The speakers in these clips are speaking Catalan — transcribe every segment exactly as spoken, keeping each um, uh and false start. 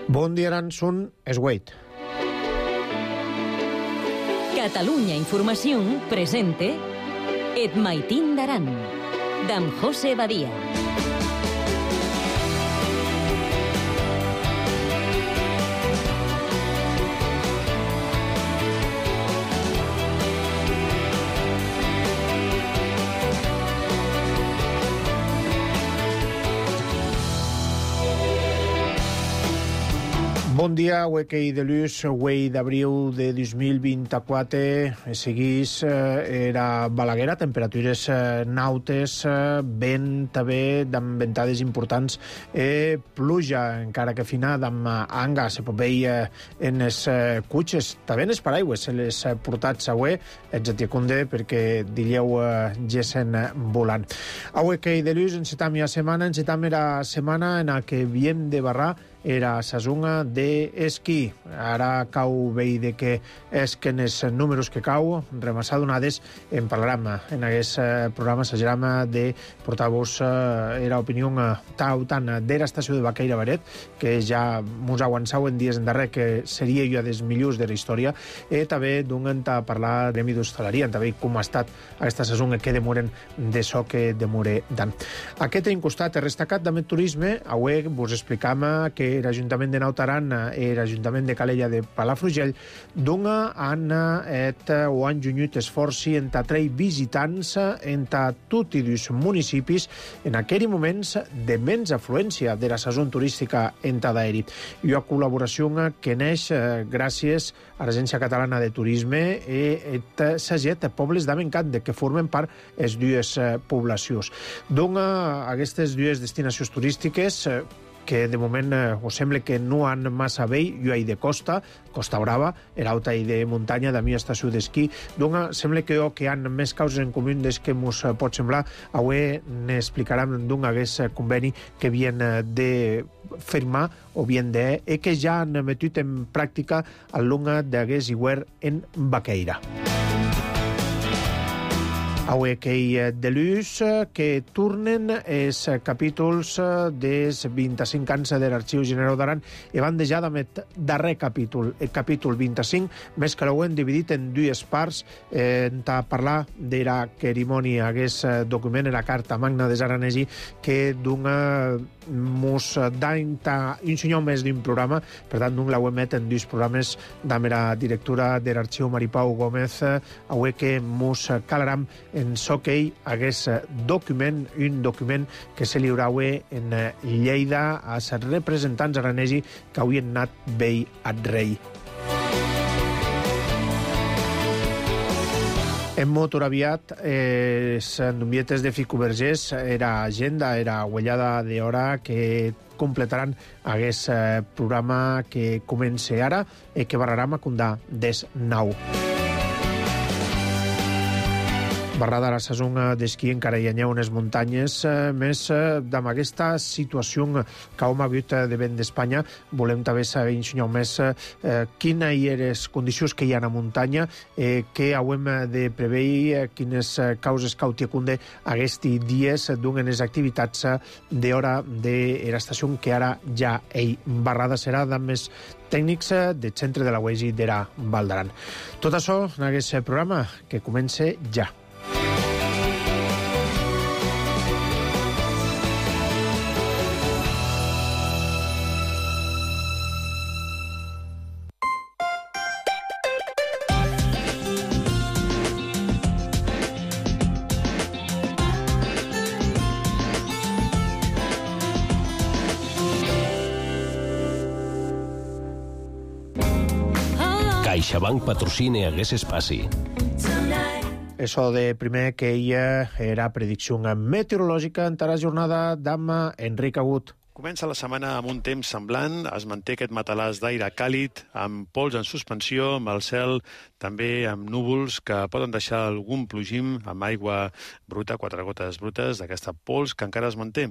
Bon dia, Aransun, és Wade. Catalunya Informació presente Et Maitín d'Aran, d'en José Badia. Bon dia, Huequei de Luz, Huei d'abril de dos mil vint-i-quatre. Seguís eh, era Balaguer, temperatures eh, nautes, eh, vent també, amb ventades importants, eh, pluja, encara que fina, amb anga, se pot veure eh, en les eh, cutxes, també en les paraigües, se les eh, portats a Hue, ets a Tiacunde, perquè dileu eh, gessen eh, volant. A Huequei de Luz, encetam ja setmana, encetam era setmana en la que havíem de barrar era sazonga d'esquí. Ara cau veí de que és que en els números que cau, remassar donades, en parlarem en aquest programa, s'agerem de portar-vos eh, era opinió tau tant de l'estació de Baqueira Baret, que ja mos aguançau en dies endarrer que seria jo dels millors de la història, i també d'un a parlar de gremi d'hostaleria, també com ha estat aquesta sazonga que demoren de so que demore tant. Aquest encostat és destacat també turisme. Avui vos explicam que l'Ajuntament de Nautaran i l'Ajuntament de Calella de Palafrugell dona han et o han junyut esforci en atraure visitants en tots els municipis en aquells moments de menys afluència de la saison turística en d'aeri. I una col·laboració que neix gràcies a l'Agència Catalana de Turisme i s'aget pobles d'Amencant que formen part les dues poblacions. Dona aquestes dues destinacions turístiques que de moment eh, us sembla que no han massa bé, jo hi de costa, Costa Brava, l'altra hi de muntanya, de mi estació d'esquí, doncs sembla que, oh, que han més causes en comú des que ens pot semblar. Avui n'explicarem d'un aquest conveni que havien de firmar o bien de e que ja han metut en pràctica al longa d'aquest hivern en Baqueira. Avui que hi de Luz, que tornen els capítols dels vint-i-cinc anys de l'Arxiu General d'Aran i van deixar amb el darrer capítol, el capítol vint-i-cinc, més que l'ho hem dividit en dues parts, eh, a parlar de la cerimònia, aquest document, la Carta Magna des Aranesi, que dona mos d'any un senyor més d'un programa, per tant, d'un l'ho emet en dos programes amb la directora de l'Arxiu Maripau Gómez, avui que mos calaram en so que ell hagués document, un document que se lliurava en Lleida a els representants aranesi que havien anat vell al rei. En motor aviat, eh, en Dumietes de Ficovergés era agenda, era huellada d'hora que completaran aquest eh, programa que comença ara i que barrarà a condar des nou. Barrada la saison d'esquí encara hi ha unes muntanyes, eh, més eh, amb aquesta situació que hem hagut de vent d'Espanya. Volem també saber ensenyar més eh, quines hi ha les condicions que hi ha a la muntanya, eh, que hem de preveure, eh, quines causes cautiacunde aquests dies d'unes les activitats d'hora de l'estació que ara ja ell barrada serà amb més tècnics del centre de la U E S I d'Era Val d'Aran. Tot això en aquest programa que comença ja. CaixaBank patrocina hagués espaci. Això de primer que ella era predicció meteorològica en la jornada d'Amma Enric Agut. Comença la setmana amb un temps semblant, es manté aquest matalàs d'aire càlid, amb pols en suspensió, amb el cel també amb núvols que poden deixar algun plogim amb aigua bruta, quatre gotes brutes d'aquesta pols que encara es manté.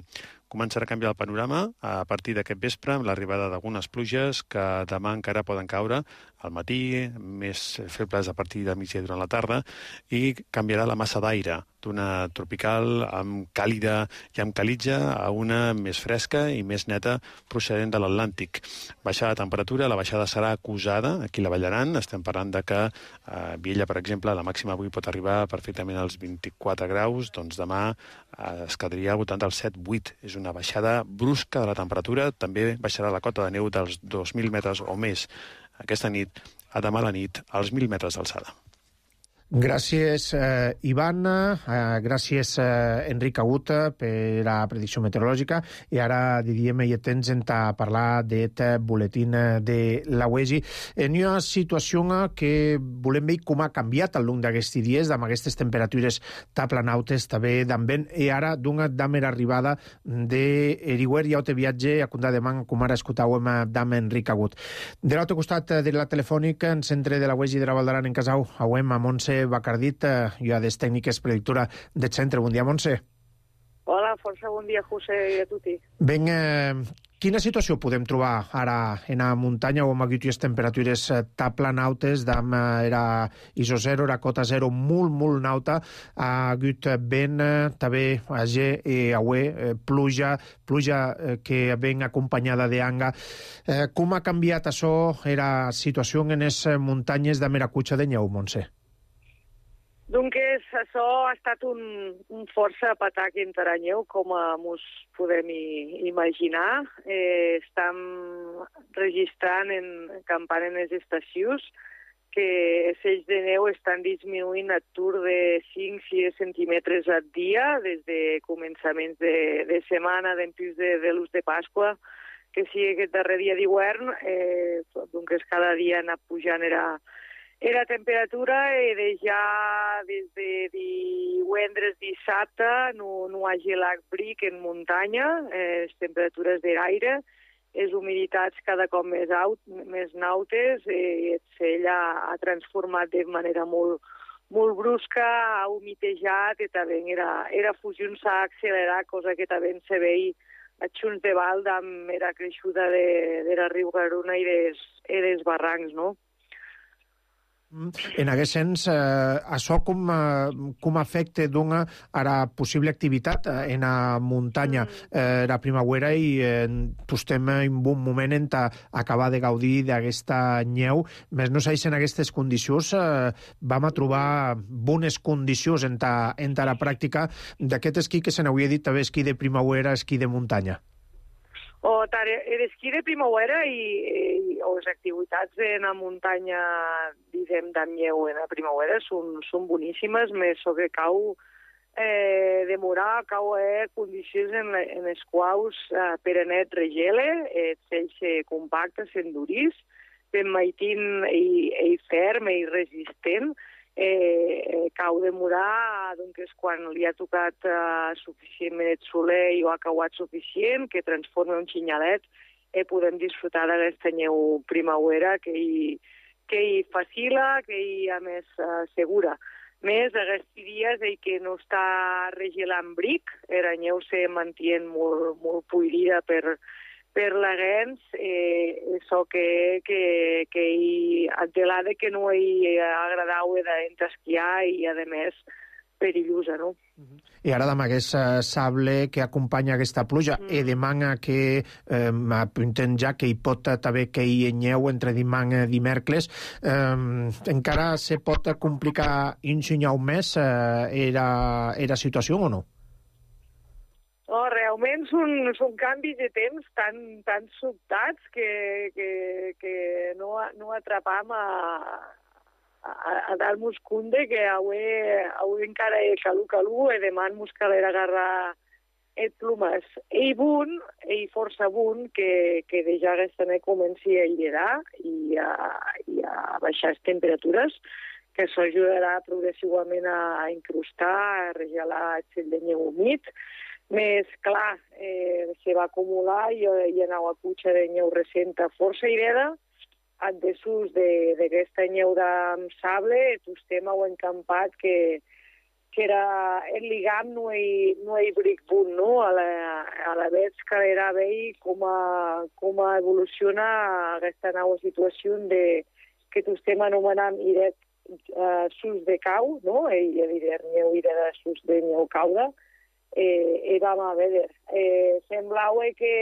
Començarà a canviar el panorama a partir d'aquest vespre amb l'arribada d'algunes pluges que demà encara poden caure al matí, més febles a partir de migdia durant la tarda, i canviarà la massa d'aire. d'una tropical amb càlida i amb calitja a una més fresca i més neta procedent de l'Atlàntic. Baixada de temperatura, la baixada serà acusada aquí a la Vall d'Aran. Estem parlant de que a Viella, per exemple, la màxima avui pot arribar perfectament als vint-i-quatre graus, doncs demà es quedaria al voltant dels set vuit. És una baixada brusca de la temperatura. També baixarà la cota de neu dels dos mil metres o més aquesta nit, a demà a la nit, als mil metres d'alçada. Gràcies, eh, Ivan. Eh, gràcies, eh, Enric Agut, per la predicció meteorològica. I ara diríem i temps a parlar d'aquest boletín de la U E S I. En una situació que volem veure com ha canviat al llarg d'aquests dies, amb aquestes temperatures tan planautes, també d'en vent, i ara d'una damera arribada d'Eriwer i auto viatge a Condà de Man, com ara escoltàvem d'en Enric Agut. De l'altre costat de la telefònica, en centre de la U E S I de la Val d'Aran, en Casau, auem a Montse Bacardit, i a des tècniques predictora del centre. Bon dia, Montse. Hola, força bon dia, José, i a tutti. Ben, eh, quina situació podem trobar ara en la muntanya on aquí les temperatures tan planautes, d'am era iso zero, era cota zero, molt, molt nauta, ha hagut vent, també a G i a U E, pluja, pluja que ben acompanyada d'anga. Eh, com ha canviat això, era situació en les muntanyes de Meracutxa de Nyeu, Montse? Doncs això ha estat un, un força patac enteranyeu, com mos podem i, imaginar. Eh, estem registrant en campant en les estacions que els ells de neu estan disminuint a tur de cinc a sis centímetres al dia des de començaments de, de setmana, d'empís de, de l'ús de Pasqua, que sigui aquest darrer dia d'hivern, eh, doncs cada dia ha anat pujant era Era temperatura e de ja des de divendres dissabte no, no ha gelat bric en muntanya, eh, les temperatures de l'aire, les humiditats cada cop més, aut, més nautes, eh, ell ha, ha transformat de manera molt, molt brusca, ha humitejat i també era, era fusió s'ha accelerat, cosa que també se veia a Xuns de Vald amb era creixuda de, de la Riu Garuna i des, i des barrancs, no? En aquest sens, eh, això com, eh, com afecta d'una a la possible activitat en la muntanya, eh, la primavera, i eh, estem en un bon moment en acabar de gaudir d'aquesta neu. Més no sé si en aquestes condicions eh, vam a trobar bones condicions en ta, en ta la pràctica d'aquest esquí que se n'hauria dit també esquí de primavera, esquí de muntanya. O l'esquí de primavera i, i o les activitats en la muntanya, diguem, d'Anyeu en la primavera són, són boníssimes, més sobre cau eh, demorar, cau eh, condicions en, la, en les quals eh, per anet regele, eh, ells se compacta, s'endurís, ben maitin i, i ferm i resistent, eh, cau demorar, doncs, quan li ha tocat eh, suficientment el soler i ho ha cauat suficient, que transforma un xinyalet, eh, podem disfrutar d'aquesta neu primavera que hi, que hi facila, que hi, a més, eh, segura. Més, aquests dies eh, que no està regelant bric, la neu se mantiene molt, molt puirida per, per la gens, eh, això que, que, que hi adelada que no hi agradau d'esquiar i, a més, perillosa, no? I ara amb aquest sable que acompanya aquesta pluja, mm. i demana que eh, apunten ja que hi pot també que hi neu entre dimang i dimecres, eh, encara se pot complicar un senyal més eh, era, era situació o no? No, realment són, són canvis de temps tan, tan sobtats que, que, que no, no atrapam a, a, a dar-nos compte que avui, avui encara és calu-calu i demà mos calerà agarrar el plomes. I bun, i força bun, que, que de ja aquesta nit comenci a lligar i a, i a baixar les temperatures, que això ajudarà progressivament a incrustar, a regelar el cel de neu humit. Més clar, eh, se va acumular i hi anava a cutxa de neu recent força ireda, en desús d'aquesta neu de sable, tostem ho encampat que, que era el lligam no hi, no hi bric bunt, no? A la, a la vez que era veure com, a, com a evoluciona aquesta nova situació de, que tostem anomenant iret uh, sus de cau, no? I a dir, neu i de sus de neu cauda, eh, i vam a veure. Eh, semblava que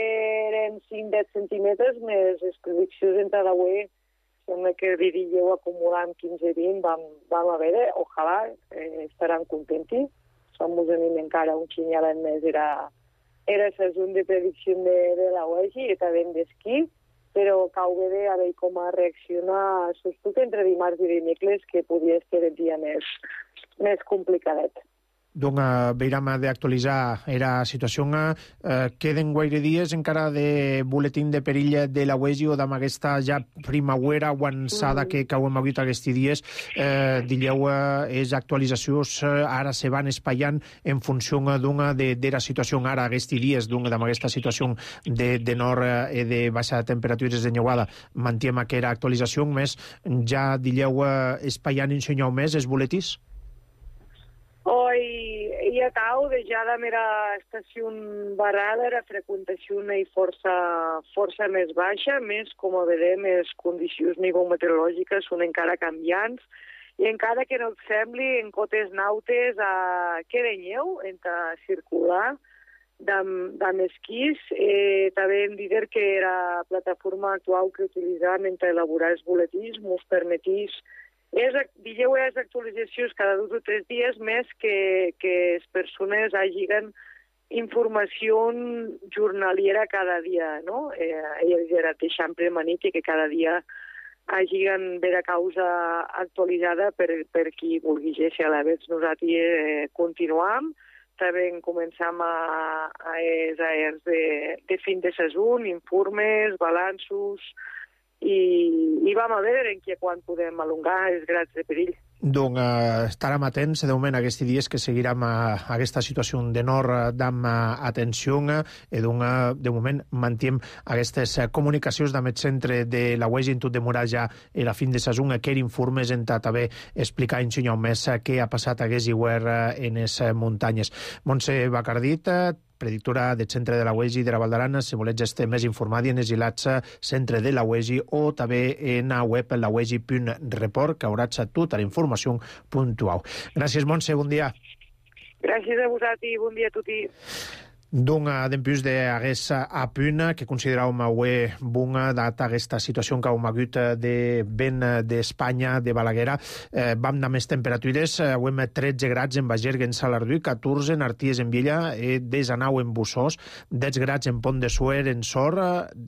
eren cinc a deu centímetres, més les prediccions entre la U E, sembla que diríeu acumulant quinze a vint, vam, vam a veure, ojalà, eh, estaran contents. Som us anem encara un xinyalet més, era, era la zona de predicció de, de la U E G i també d'esquí, però cau bé a veure com a reaccionar, sobretot entre dimarts i dimecres, que podia ser el dia més, més complicadet. Donc, uh, veiram d'actualitzar era situació. Uh, queden guaire dies encara de boletín de perill de la U E G o d'amb aquesta ja primavera avançada mm. que, que heu hagut aquests dies. Uh, digueu, uh, és actualitzacions uh, ara se van espaiant en funció d'una de, de la situació ara aquests dies, d'una d'amb aquesta situació de, de nord i uh, de baixa temperatures de neuada. Mantiem aquesta actualització, més ja digueu uh, espaiant i ensenyeu més els boletins? Hoy hi ha tau de ja la mera estació barrada, la freqüentació hi força, força més baixa, més, com a vedem, les condicions nivometeorològiques són encara canviants, i encara que no et sembli, en cotes nautes a queda neu entre circular d'amb esquís. Eh, també hem dit que la plataforma actual que utilitzàvem entre elaborar els boletins ens permetís És, digueu, les actualitzacions cada dos o tres dies més que, que les persones hagin informació jornaliera cada dia, no? Eh, era deixant premanit que cada dia hagin vera causa actualitzada per, per qui vulgui llegir a la vegada. Nosaltres eh, continuam, també començam a, a els aers de, de fin de sezon, informes, balanços, i, i vam a veure en què quan podem alongar els grads de perill. Donc, eh, estarem atents de moment aquests dies que seguirem a, a aquesta situació de nord d'amb atenció i donc, de moment mantiem aquestes comunicacions amb el centre de la U E G en tot demorar ja a la fin de sezon que informes en també explicar i ensenyar més què ha passat a aquest hivern en les muntanyes. Montse Bacardit, predictora del centre de la U E G de la Val d'Aran, si voleu estar més informada en els ilats centre de la U E G o també en la web la u e g punt report, que haurà tota la informació puntual. Gràcies, Montse, bon dia. Gràcies a vosaltres i bon dia a tutti. Donc, dempús d'aguesta apuna que consideràvem avui bona data aquesta situació que hem hagut de vent d'Espanya, de Balaguera, eh, vam anar més temperatures, avui hem tretze grads en Bagergue, en Salardú, catorze en Arties, en Viella, i desanau en Bussós, deu grads en Pont de Suer, en Sor,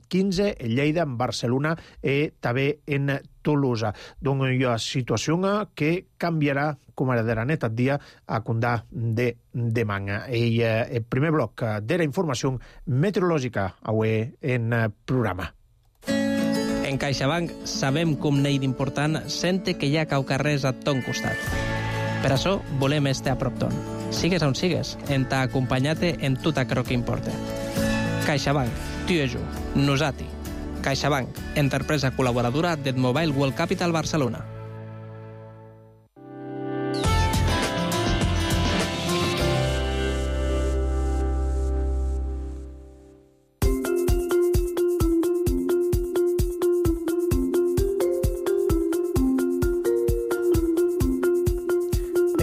quinze en Lleida, en Barcelona i també en Tolosa. Donc, hi ha situació que canviarà, com ara de la neta dia, a condar de demà. I eh, el primer bloc de la informació meteorològica avui en programa. En CaixaBank sabem com n'hi d'important sente que hi ha caucarrers a ton costat. Per això volem estar a prop ton. Sigues on sigues, en t'ha acompanyat en tot aquello que importa. CaixaBank, tu i jo, nosati. CaixaBank, empresa col·laboradora del Mobile World Capital Barcelona.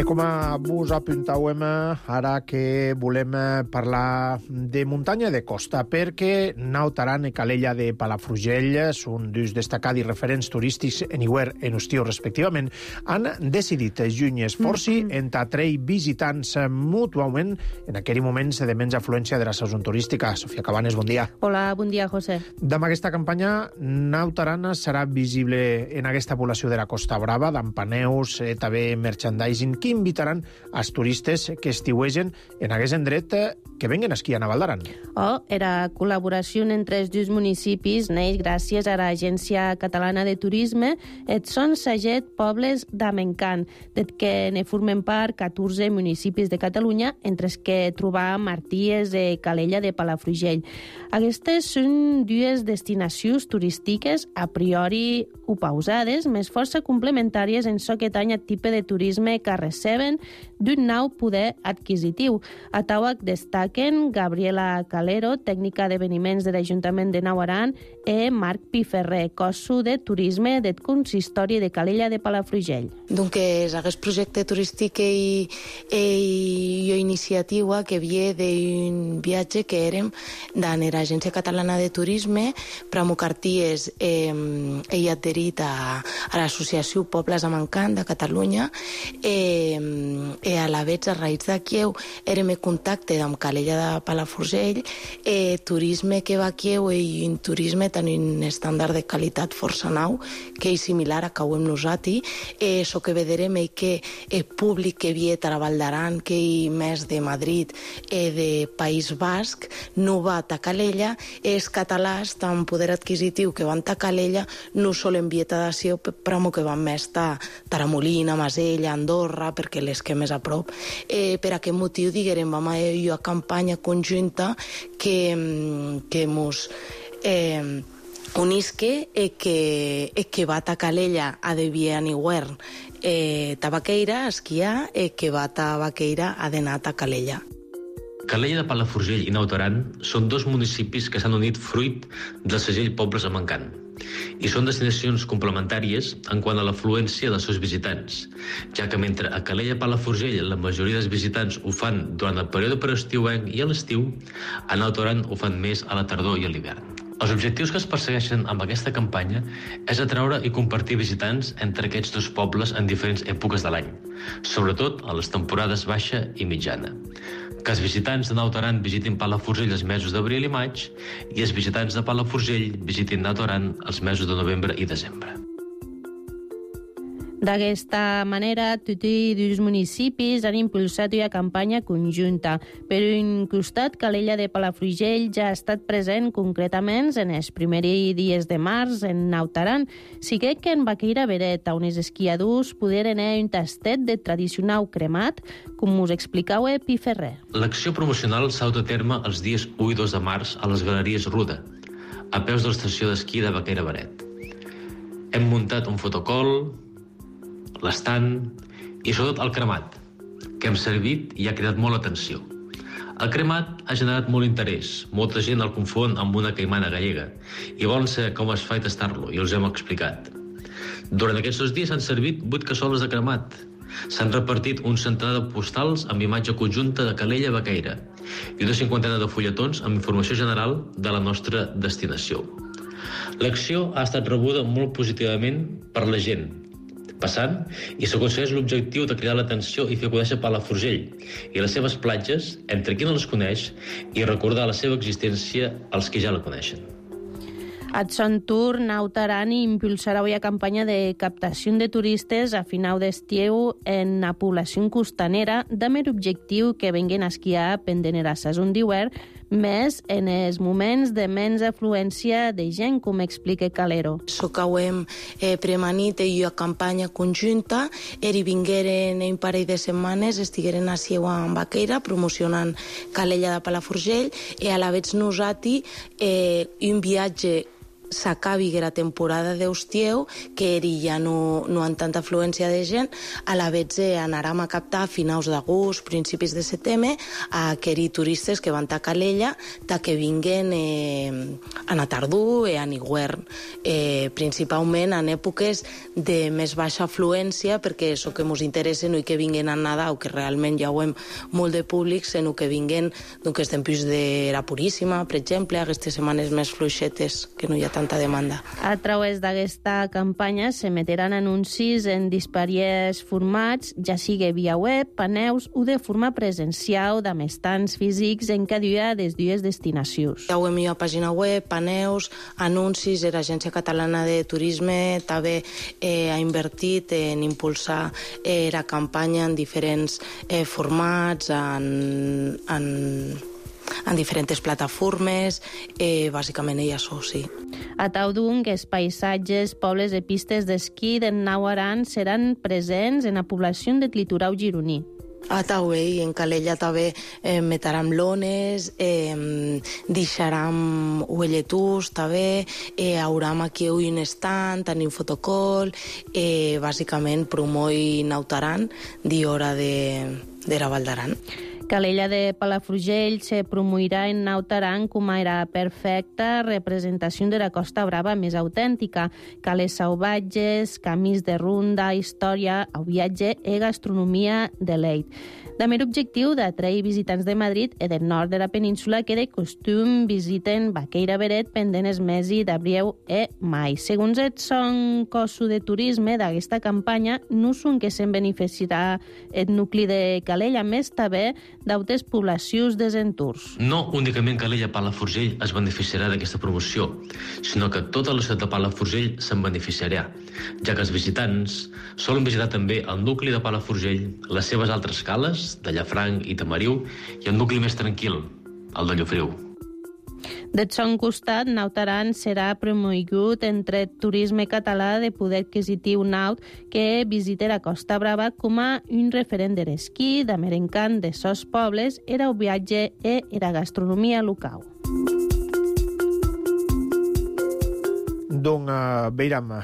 Com vos apuntàvem, ara que volem parlar de muntanya i de costa, perquè Naut Aran i Calella de Palafrugell són dos destacats i referents turístics en hivern i en estiu, respectivament, han decidit juny esforci mm -hmm. entre atrair visitants mútuament en aquell moment de menys afluència de la saison turística. Sofia Cabanes, bon dia. Hola, bon dia, José. Amb aquesta campanya, Naut Aran serà visible en aquesta població de la Costa Brava, d'Ampaneus, eh, també merchandising, que invitaran als turistes que estiuegen en aquest indret que venguen a esquiar a Val d'Aran. Oh, era col·laboració entre els dos municipis neix gràcies a l'Agència Catalana de Turisme. Et són set pobles d'Amencant, des que ne formen part catorze municipis de Catalunya, entre els que trobam Arties i Calella de Palafrugell. Aquestes són dues destinacions turístiques a priori opausades, més força complementàries en so que tanya tipus de turisme que receben d'un nou poder adquisitiu. A Tauac destaca destaquen Gabriela Calero, tècnica d'eveniments de l'Ajuntament de Nau Aran, e Marc Piferrer, cossu de turisme del consistori de Calella de Palafrugell. Donc, aquest projecte turístic i, i iniciativa que ve d'un viatge que érem de l'Agència Catalana de Turisme, Pramucarties eh, he adherit a, a l'associació Pobles amb Encant de Catalunya eh, e a la vez a raïs d'aquí érem en contacte amb Calella de Palafrugell, eh, turisme que va aquí i un turisme tenir un estàndard de qualitat força nau que és similar a que ho hem nosaltres. Eh, so que veurem és que el públic que ve a la Val d'Aran, que hi més de Madrid i de País Basc, no va a Calella, és catalàs tan poder adquisitiu que van a Calella, no sol envieta d'acció, però que van més a Taramolina, Masella, Andorra, perquè les que més a prop. Eh, per aquest motiu, diguem, vam a una campanya conjunta que, que mos eh, unisque e que, e que va a Calella a de Vian i Guern eh, Tabaqueira a esquiar e que va a Baqueira a d'anar a Calella. Calella de Palafrugell i Naut Aran són dos municipis que s'han unit fruit del segell Pobles amb Encant i són destinacions complementàries en quant a l'afluència dels seus visitants, ja que mentre a Calella Palafrugell la majoria dels visitants ho fan durant el període preestiuenc i a l'estiu, a Naut Aran ho fan més a la tardor i a l'hivern. Els objectius que es persegueixen amb aquesta campanya és atraure i compartir visitants entre aquests dos pobles en diferents èpoques de l'any, sobretot a les temporades baixa i mitjana. Que els visitants de Naut Aran visitin Palafrugell els mesos d'abril i maig i els visitants de Palafrugell visitin Naut Aran els mesos de novembre i desembre. D'aquesta manera, tots els municipis han impulsat una campanya conjunta. Per un costat, Calella de Palafrugell ja ha estat present concretament en els primers dies de març en Naut Aran. Sí que en Baqueira Beret, on els esquiadors poderen anar un tastet de tradicional cremat, com us explicau a Piferrer. L'acció promocional s'ha dut a terme els dies u i dos de març a les Galeries Ruda, a peus de l'estació d'esquí de Baqueira Beret. Hem muntat un fotocol, l'estant i sobretot el cremat, que hem servit i ha cridat molt l'atenció. El cremat ha generat molt interès, molta gent el confon amb una caimana gallega i volen saber com es fa i tastar-lo, i els hem explicat. Durant aquests dos dies s'han servit vuit cassoles de cremat. S'han repartit un centenar de postals amb imatge conjunta de Calella a Baqueira i una cinquantena de fulletons amb informació general de la nostra destinació. L'acció ha estat rebuda molt positivament per la gent, passant, i s'aconsegueix l'objectiu de cridar l'atenció i fer conèixer Palafrugell i les seves platges entre qui no les coneix i recordar la seva existència als que ja la coneixen. At son tour, Naut Aran impulsarà una campanya de captació de turistes a final d'estiu en la població costanera, amb l'objectiu que venguen a esquiar pendent la saison d'hivern, més en els moments de menys afluència de gent, com explica Calero. So que ho hem eh, premanit i una campanya conjunta, eri vingueren un parell de setmanes, estigueren a Sieua en Baqueira, promocionant Calella de Palafrugell, i a la vez nosaltres eh, un viatge s'acabi la temporada d'estieu, que eri ja no, no han tanta afluència de gent, a la vez anàrem a captar a finals d'agost, principis de setembre, a aquells turistes que van a Calella, ta que vinguen eh, a la tardor i a l'hivern, eh, principalment en èpoques de més baixa afluència, perquè és el que ens interessa, no que vinguen a Nadal, que realment ja ho hem molt de públic, sinó que vinguen doncs, temps de la Puríssima, per exemple, aquestes setmanes més fluixetes, que no hi ha tanta demanda. A través d'aquesta campanya s'emetran anuncis en disparats formats, ja sigui via web, paneus o de forma presencial amb estants físics en cada una de les dues destinacions. Ja ho hem a pàgina web, paneus, anuncis, l'Agència Catalana de Turisme també eh, ha invertit en impulsar eh, la campanya en diferents eh, formats, en... en en diferents plataformes, eh, bàsicament ella això, sí. A Taudung, els paisatges, pobles i pistes d'esquí de Naut Aran seran presents en la població del litoral gironí. A Taué i en Calella també eh, metaram lones, eh, deixaram uelletús també, eh, hauram aquí un stand, tenim fotocol, eh, bàsicament promoi Naut Aran, d'hora de, de la Val d'Aran. Calella de Palafrugell se promourà en Nautaran com a era perfecta representació de la Costa Brava més autèntica. Cales salvatges, camins de runda, història, o viatge e gastronomia de leit. També l'objectiu d'atrair visitants de Madrid i del nord de la península que de costum visiten Baqueira Beret pendent els mesos d'abril e mai. Segons el son costo de turisme d'aquesta campanya, no són que se'n beneficiarà el nucli de Calella, més també d'altres poblacions dels entorns. No únicament Calella Palafrugell es beneficiarà d'aquesta promoció, sinó que tota la ciutat de Palafrugell se'n beneficiarà, ja que els visitants solen visitar també el nucli de Palafrugell, les seves altres cales, de Llafranc i Tamariu, i el nucli més tranquil, el de Llofriu. Del son costat, Nautaran serà promogut entre el turisme català de poder adquisitiu naut que visita la Costa Brava com a un referent de l'esquí, de merencant de sos pobles, era el viatge i era gastronomia local. Donc, uh, veiram uh,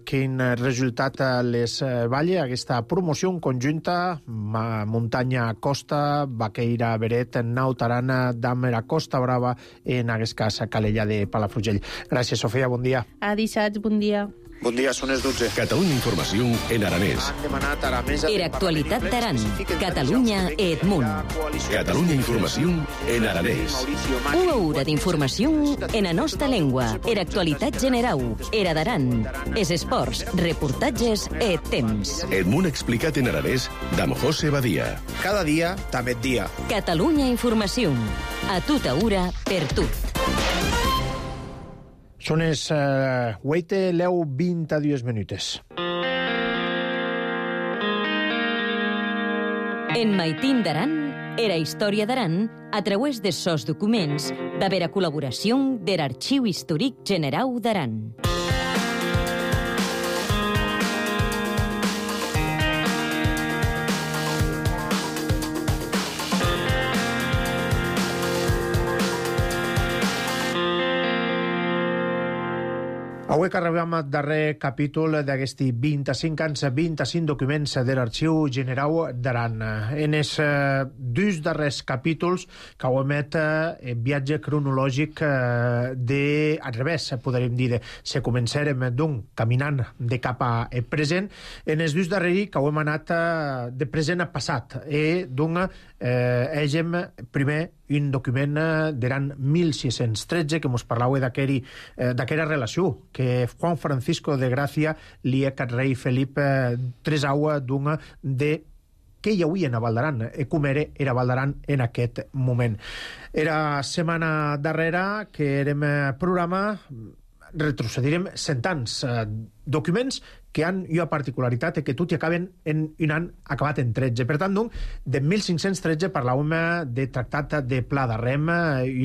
quin resultat les uh, valle aquesta promoció conjunta muntanya-costa, Baqueira Beret, Nautaran, Dàmera, Costa Brava, en aquest cas Calella de Palafrugell. Gràcies, Sofia, bon dia. A dissabte, bon dia. Bon dia, són les dotze. Catalunya Informació en aranès. Era actualitat d'Aran, Catalunya e Edmunt. Catalunya Informació en aranès. Una hora d'informació en la nostra llengua. Era actualitat general. Era d'Aran. Es esports, reportatges e temps. Edmunt explicat en aranès d'Am José Badia. Cada dia, també dia. Catalunya Informació. A tota hora, per tot. Són les uh, vuit leu vint-i-dos minutes. En Maitín d'Aran, era història d'Aran, a través de sos documents, d'haver a col·laboració de l'Arxiu Històric General d'Aran. Avui que arribem al darrer capítol d'aquests vint-i-cinc anys, vint-i-cinc documents de l'Arxiu General d'Aran. En els eh, dos darrers capítols que ho emet eh, viatge cronològic eh, de, al revés, podríem dir, se començarem d'un caminant de cap a present. En els dos darrers que ho hem anat eh, de present a passat. I d'un eh, hegem primer un document d'Aran mil sis-cents tretze que mos parlava d'aquella relació que Juan Francisco de Gràcia li ha cat rei Felip tresau d'un de què hi hauria a Val d'Aran, i com era, era Val d'Aran en aquest moment. Era setmana darrera que érem programa, retrocedirem cent anys, documents que han una particularitat que tot i acaben en un any acabat en tretze. Per tant, doncs, de mil cinc-cents tretze parlàvem de tractat de Pla de Rem,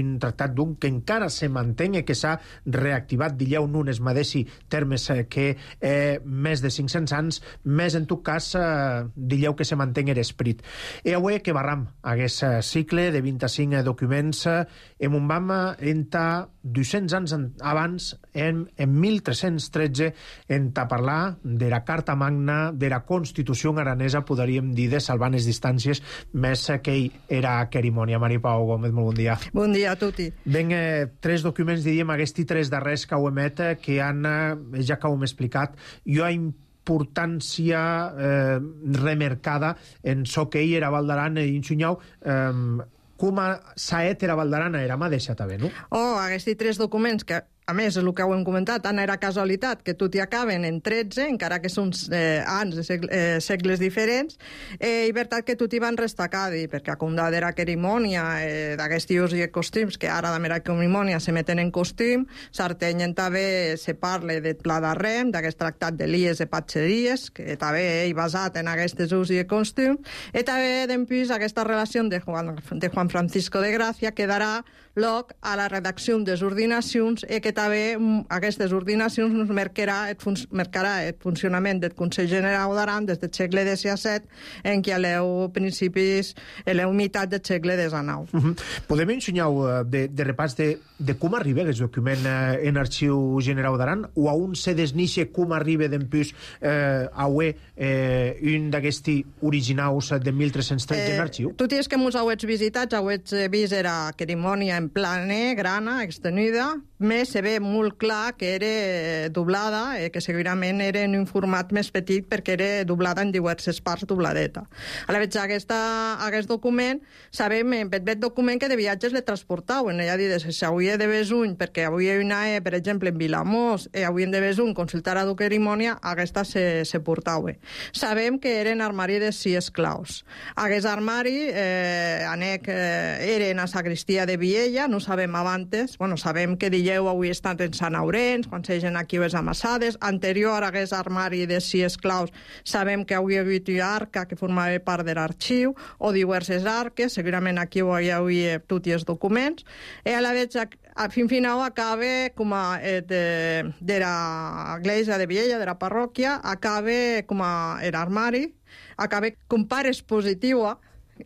un tractat doncs, que encara se manté i que s'ha reactivat, dilleu, en unes mateixos termes que eh, més de cinc-cents anys, més en tot cas, eh, dilleu que se manté l'esperit. I avui que barram aquest cicle de vint-i-cinc documents, en un vam entre dos-cents anys abans, en, en mil tres-cents tretze, en a parlar de la Carta Magna, de la Constitució aranesa, podríem dir, de salvar les distàncies, més que era cerimònia. Mari Pau Gómez, molt bon dia. Bon dia a tutti. Ben, eh, tres documents, diríem, aquests tres darrers que ho emet, que han, eh, ja que ho hem explicat, jo ha importància eh, remarcada en so que ell era Val d'Aran i Insunyau, eh, com a Saet era Val d'Aran, era mà deixat també, no? Oh, aquests tres documents que a més, el que ho hem comentat, tant era casualitat que tot hi acaben en tretze, encara que són eh, anys de segle, eh, segles diferents, eh, i veritat que tot hi van restacadi, perquè a com d'era cerimònia eh, d'aquests usos i costums, que ara de mera cerimònia se meten en costum, s'artenyen també, se parla del Pla de Rem, d'aquest tractat de Lies de Patxeries, que també ell basat en aquests usos i costums, i també, d'empís, aquesta relació de Juan, de Juan Francisco de Gràcia quedarà loc a la redacció des ordinacions e que també aquestes ordinacions nos marcarà el, fun marcarà el funcionament del Consell Generau d'Aran des del segle disset en què l'eu principis, l'eu meitat del segle dinou. Uh -huh. Podem ensenyar de, de repàs de, de com arriba aquest document eh, en Arxiu Generau d'Aran o a on se desnixe com arriba d'empús eh, a uer eh, un d'aquests originaus de mil tres-cents tretze en arxiu? Tu dius que mos hauets visitats, hauets vist era cerimònia en plane, grana, extenuda, més se ve molt clar que era doblada, eh, que segurament era en un format més petit perquè era doblada en diverses parts dobladeta. A la vegada, aquesta, aquest document, sabem, en aquest document que de viatges le transportaven, ja dius, si hauria de Besuny, perquè avui hi ha una E, per exemple, en Vilamós, i avui de Besuny consultar a la cerimònia, aquesta se, se portava. Sabem que eren armari de sis esclaus. Aquest armari, eh, anec, eh, era en la sagristia de Viella, no sabem abans, bueno, sabem que Dilleu avui estan en Sant Aurens, quan s'egen aquí les amassades. Anterior a aquest armari de sis esclaus, sabem que avui hi havia una arca que formava part de l'arxiu, o diverses arques, segurament aquí hi havia tots els documents, i a la vegada a fin final acaba com a eh, de, de l'església de Viella, de la parròquia, acaba com a l'armari, acaba com part expositiva,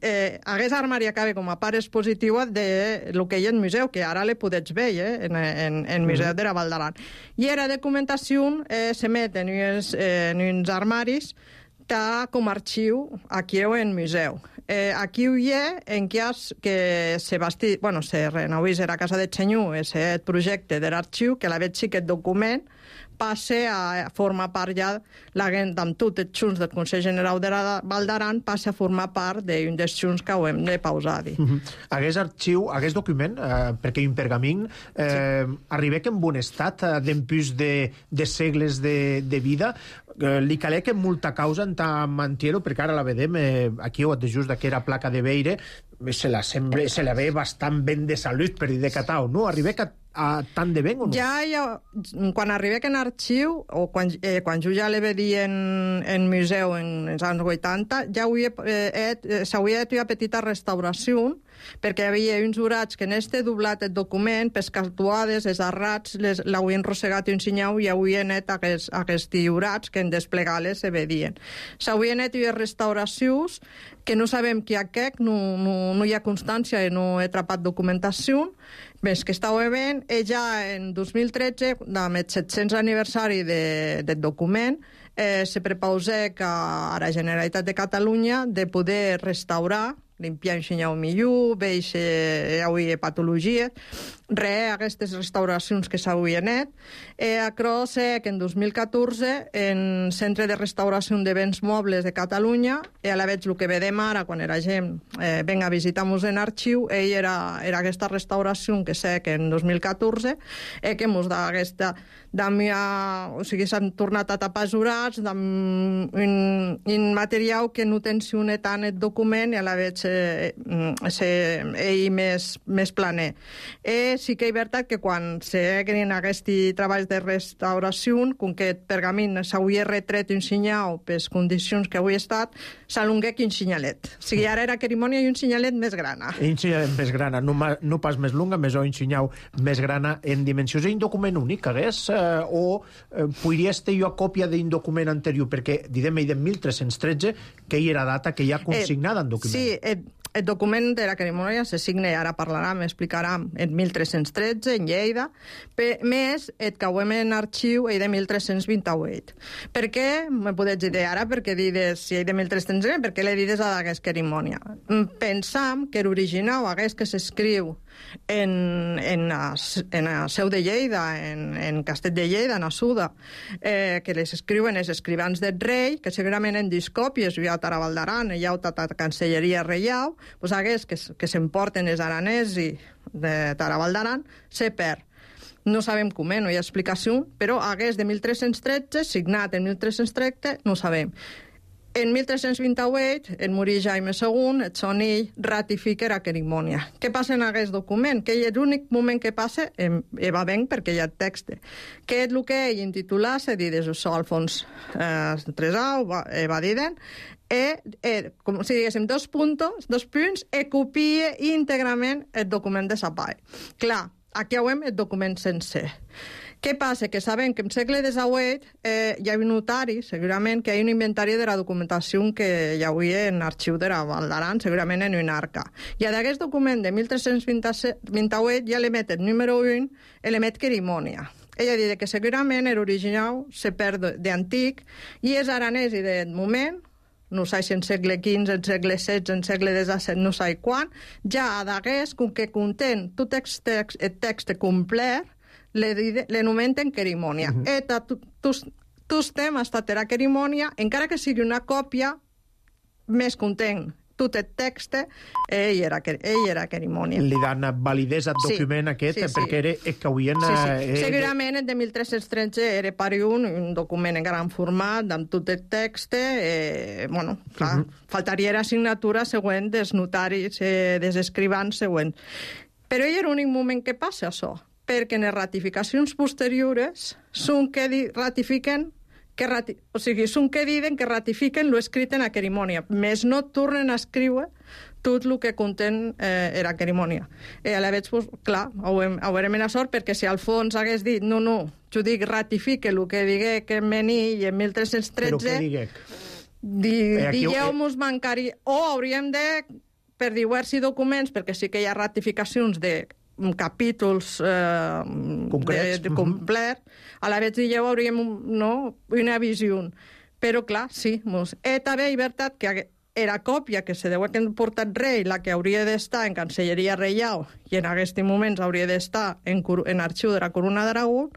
eh, aquest armari acaba com a part expositiva de lo que hi ha en museu, que ara le podets veure eh, en, en, en museu de la Val d'Aran. I era documentació eh, se met en uns, eh, en uns armaris ta com a arxiu aquí o en museu. Eh, aquí hi ha en cas que se basti, bueno, se renovís era casa de Xenyú, aquest projecte de l'arxiu, que la veig sí que el document passe a formar part ja, amb tots els junts del Consell Generau de la Val d'Aran, passa a formar part d'un dels junts que ho hem de pausar. Uh -huh. Aquest arxiu, aquest document, eh, perquè hi ha un pergamín, eh, sí. arriba en bon estat, eh, d'empús de, de segles de, de vida, eh, li calec en molta causa en tant mantier-ho, perquè ara la vedem, eh, aquí o just d'aquella placa de Beire, se la, sembla, se la ve bastant ben de salut, per dir de catau, no? Arriba a a tant de ben o no? Ja, ja quan arriba en arxiu, o quan, eh, quan jo ja l'he vedit en, en museu en els anys vuitanta, ja eh, s'hauria de fer una petita restauració, perquè hi havia uns jurats que en este doblat el document, pels casuades, els arrats, l'havien rossegat i ensenyau i havien net aquests, aquests jurats que en desplegar-les se vedien. S'haurien net unes restauracions que no sabem qui aquest, no, no, no hi ha constància i no he atrapat documentació, més que estava veient, i ja en dos mil tretze, amb el set-cents aniversari de, del document, eh, se prepausa que a la Generalitat de Catalunya de poder restaurar, limpiar un xinyau millor, veig eh, avui patologies, re, aquestes restauracions que s'havien net. Eh, acro sé que en dos mil catorze, en Centre de Restauració de Béns Mobles de Catalunya, i a la veig el que vedem ara, quan era gent eh, venga a visitar-nos en arxiu, ell era, era aquesta restauració que sé que en dos mil catorze, eh, que mos da aquesta d'amia, o sigui, s'han tornat a tapar jurats d'un un material que no tensiona tant el document i a la veig eh, eh, ell més, més planer. Eh, sí que és veritat que quan s'hagin aquests treballs de restauració, com que el pergamín s'hauria retret un senyal per les condicions que avui ha estat, s'alongué un senyalet. O sigui, ara era cerimònia i un senyalet més grana. Un senyalet més grana, no, no pas més longa, més o un senyal més grana en dimensions. És un document únic, hagués? Eh, o eh, podries tenir jo còpia d'un document anterior? Perquè, diguem, de mil tres-cents tretze, que hi era data que hi ha consignada en document. Sí, el, el document de la cerimònia se signa, ara parlarem, explicarem, en mil tres-cents tretze, en Lleida, per, més el que ho hem en arxiu és de mil tres-cents vint-i-vuit. Per què? Me podeu dir ara, perquè dides, si és de mil tres-cents vint, per què l'he dides a aquesta cerimònia? Pensam que l'original, aquest que s'escriu en, en, a, en a Seu de Lleida, en, en Castell de Lleida, en Assuda, eh, que les escriuen els escrivans del rei, que segurament en discòpies hi ha a Val d'Aran, hi ha a Cancelleria Reial, doncs aquests que, que s'emporten els aranesi de Val d'Aran, se perd. No sabem com, eh? No hi ha explicació, però aquest de mil tres-cents tretze, signat en mil tres-cents tretze, no sabem. En mil tres-cents vint-i-vuit, en morir Jaime segon, el Sonill ratifica la cerimònia. Què passa en aquest document? Que és l'únic moment que passa, i va ben perquè hi ha text, que és el que ell intitula, se dit des això, Alfons eh, Tresau, va, va dir, e, e com si diguéssim, dos puntos, dos punts, e copia íntegrament el document de sa part. Clar, aquí veiem el document sencer. Què passa? Que sabem que en segle divuit eh, hi ha un notari, segurament, que hi ha un inventari de la documentació que hi havia en l'arxiu de la Val d'Aran, segurament en una arca. I a d'aquest document de mil tres-cents vint-i-vuit ja l'emet el número un, l'emet Querimònia. Ella diu que segurament l'original se perd d'antic i és aranès i de moment, no sé si en segle quinze, en segle setze, en segle disset, no sé quan, ja a d'aquest, com que contén tot el text, el text complet, l'anomenten Querimònia. Uh -huh. Eta tus temes tatera Querimònia, encara que sigui una còpia, més content tot el text, ell era, ell era Querimònia. Li dan validesa al document sí, aquest, sí, sí. perquè era el que havien... Sí, sí. Eh, Segurament el de mil tres-cents tretze era per un, un document en gran format, amb tot el text, eh, bueno, clar, uh -huh. faltaria la signatura següent dels notaris, eh, dels escrivans següents. Però hi ha l'únic moment que passa això, perquè en les ratificacions posteriors són que ratifiquen que rati... o sigui, són que diuen que ratifiquen lo escrit en la Querimònia, més no tornen a escriure tot el que contén eh, era Querimònia. I a la veig, pues, clar, ho, hem, ho veurem en la sort, perquè si Alfons hagués dit, no, no, jo dic, ratifique el que digué que en vení i en mil tres-cents tretze... Però què diguec? Di, eh, digueu-mos bancari... O hauríem de, per diversos documents, perquè sí que hi ha ratificacions de capítols eh, concrets, de, de complet, a la vegada ja hauríem no, una visió. Però, clar, sí. Mos... E també, és veritat, que era còpia que se deu haver portat rei, la que hauria d'estar en Cancelleria Reial i en aquests moments hauria d'estar en, en arxiu de la Corona d'Aragó,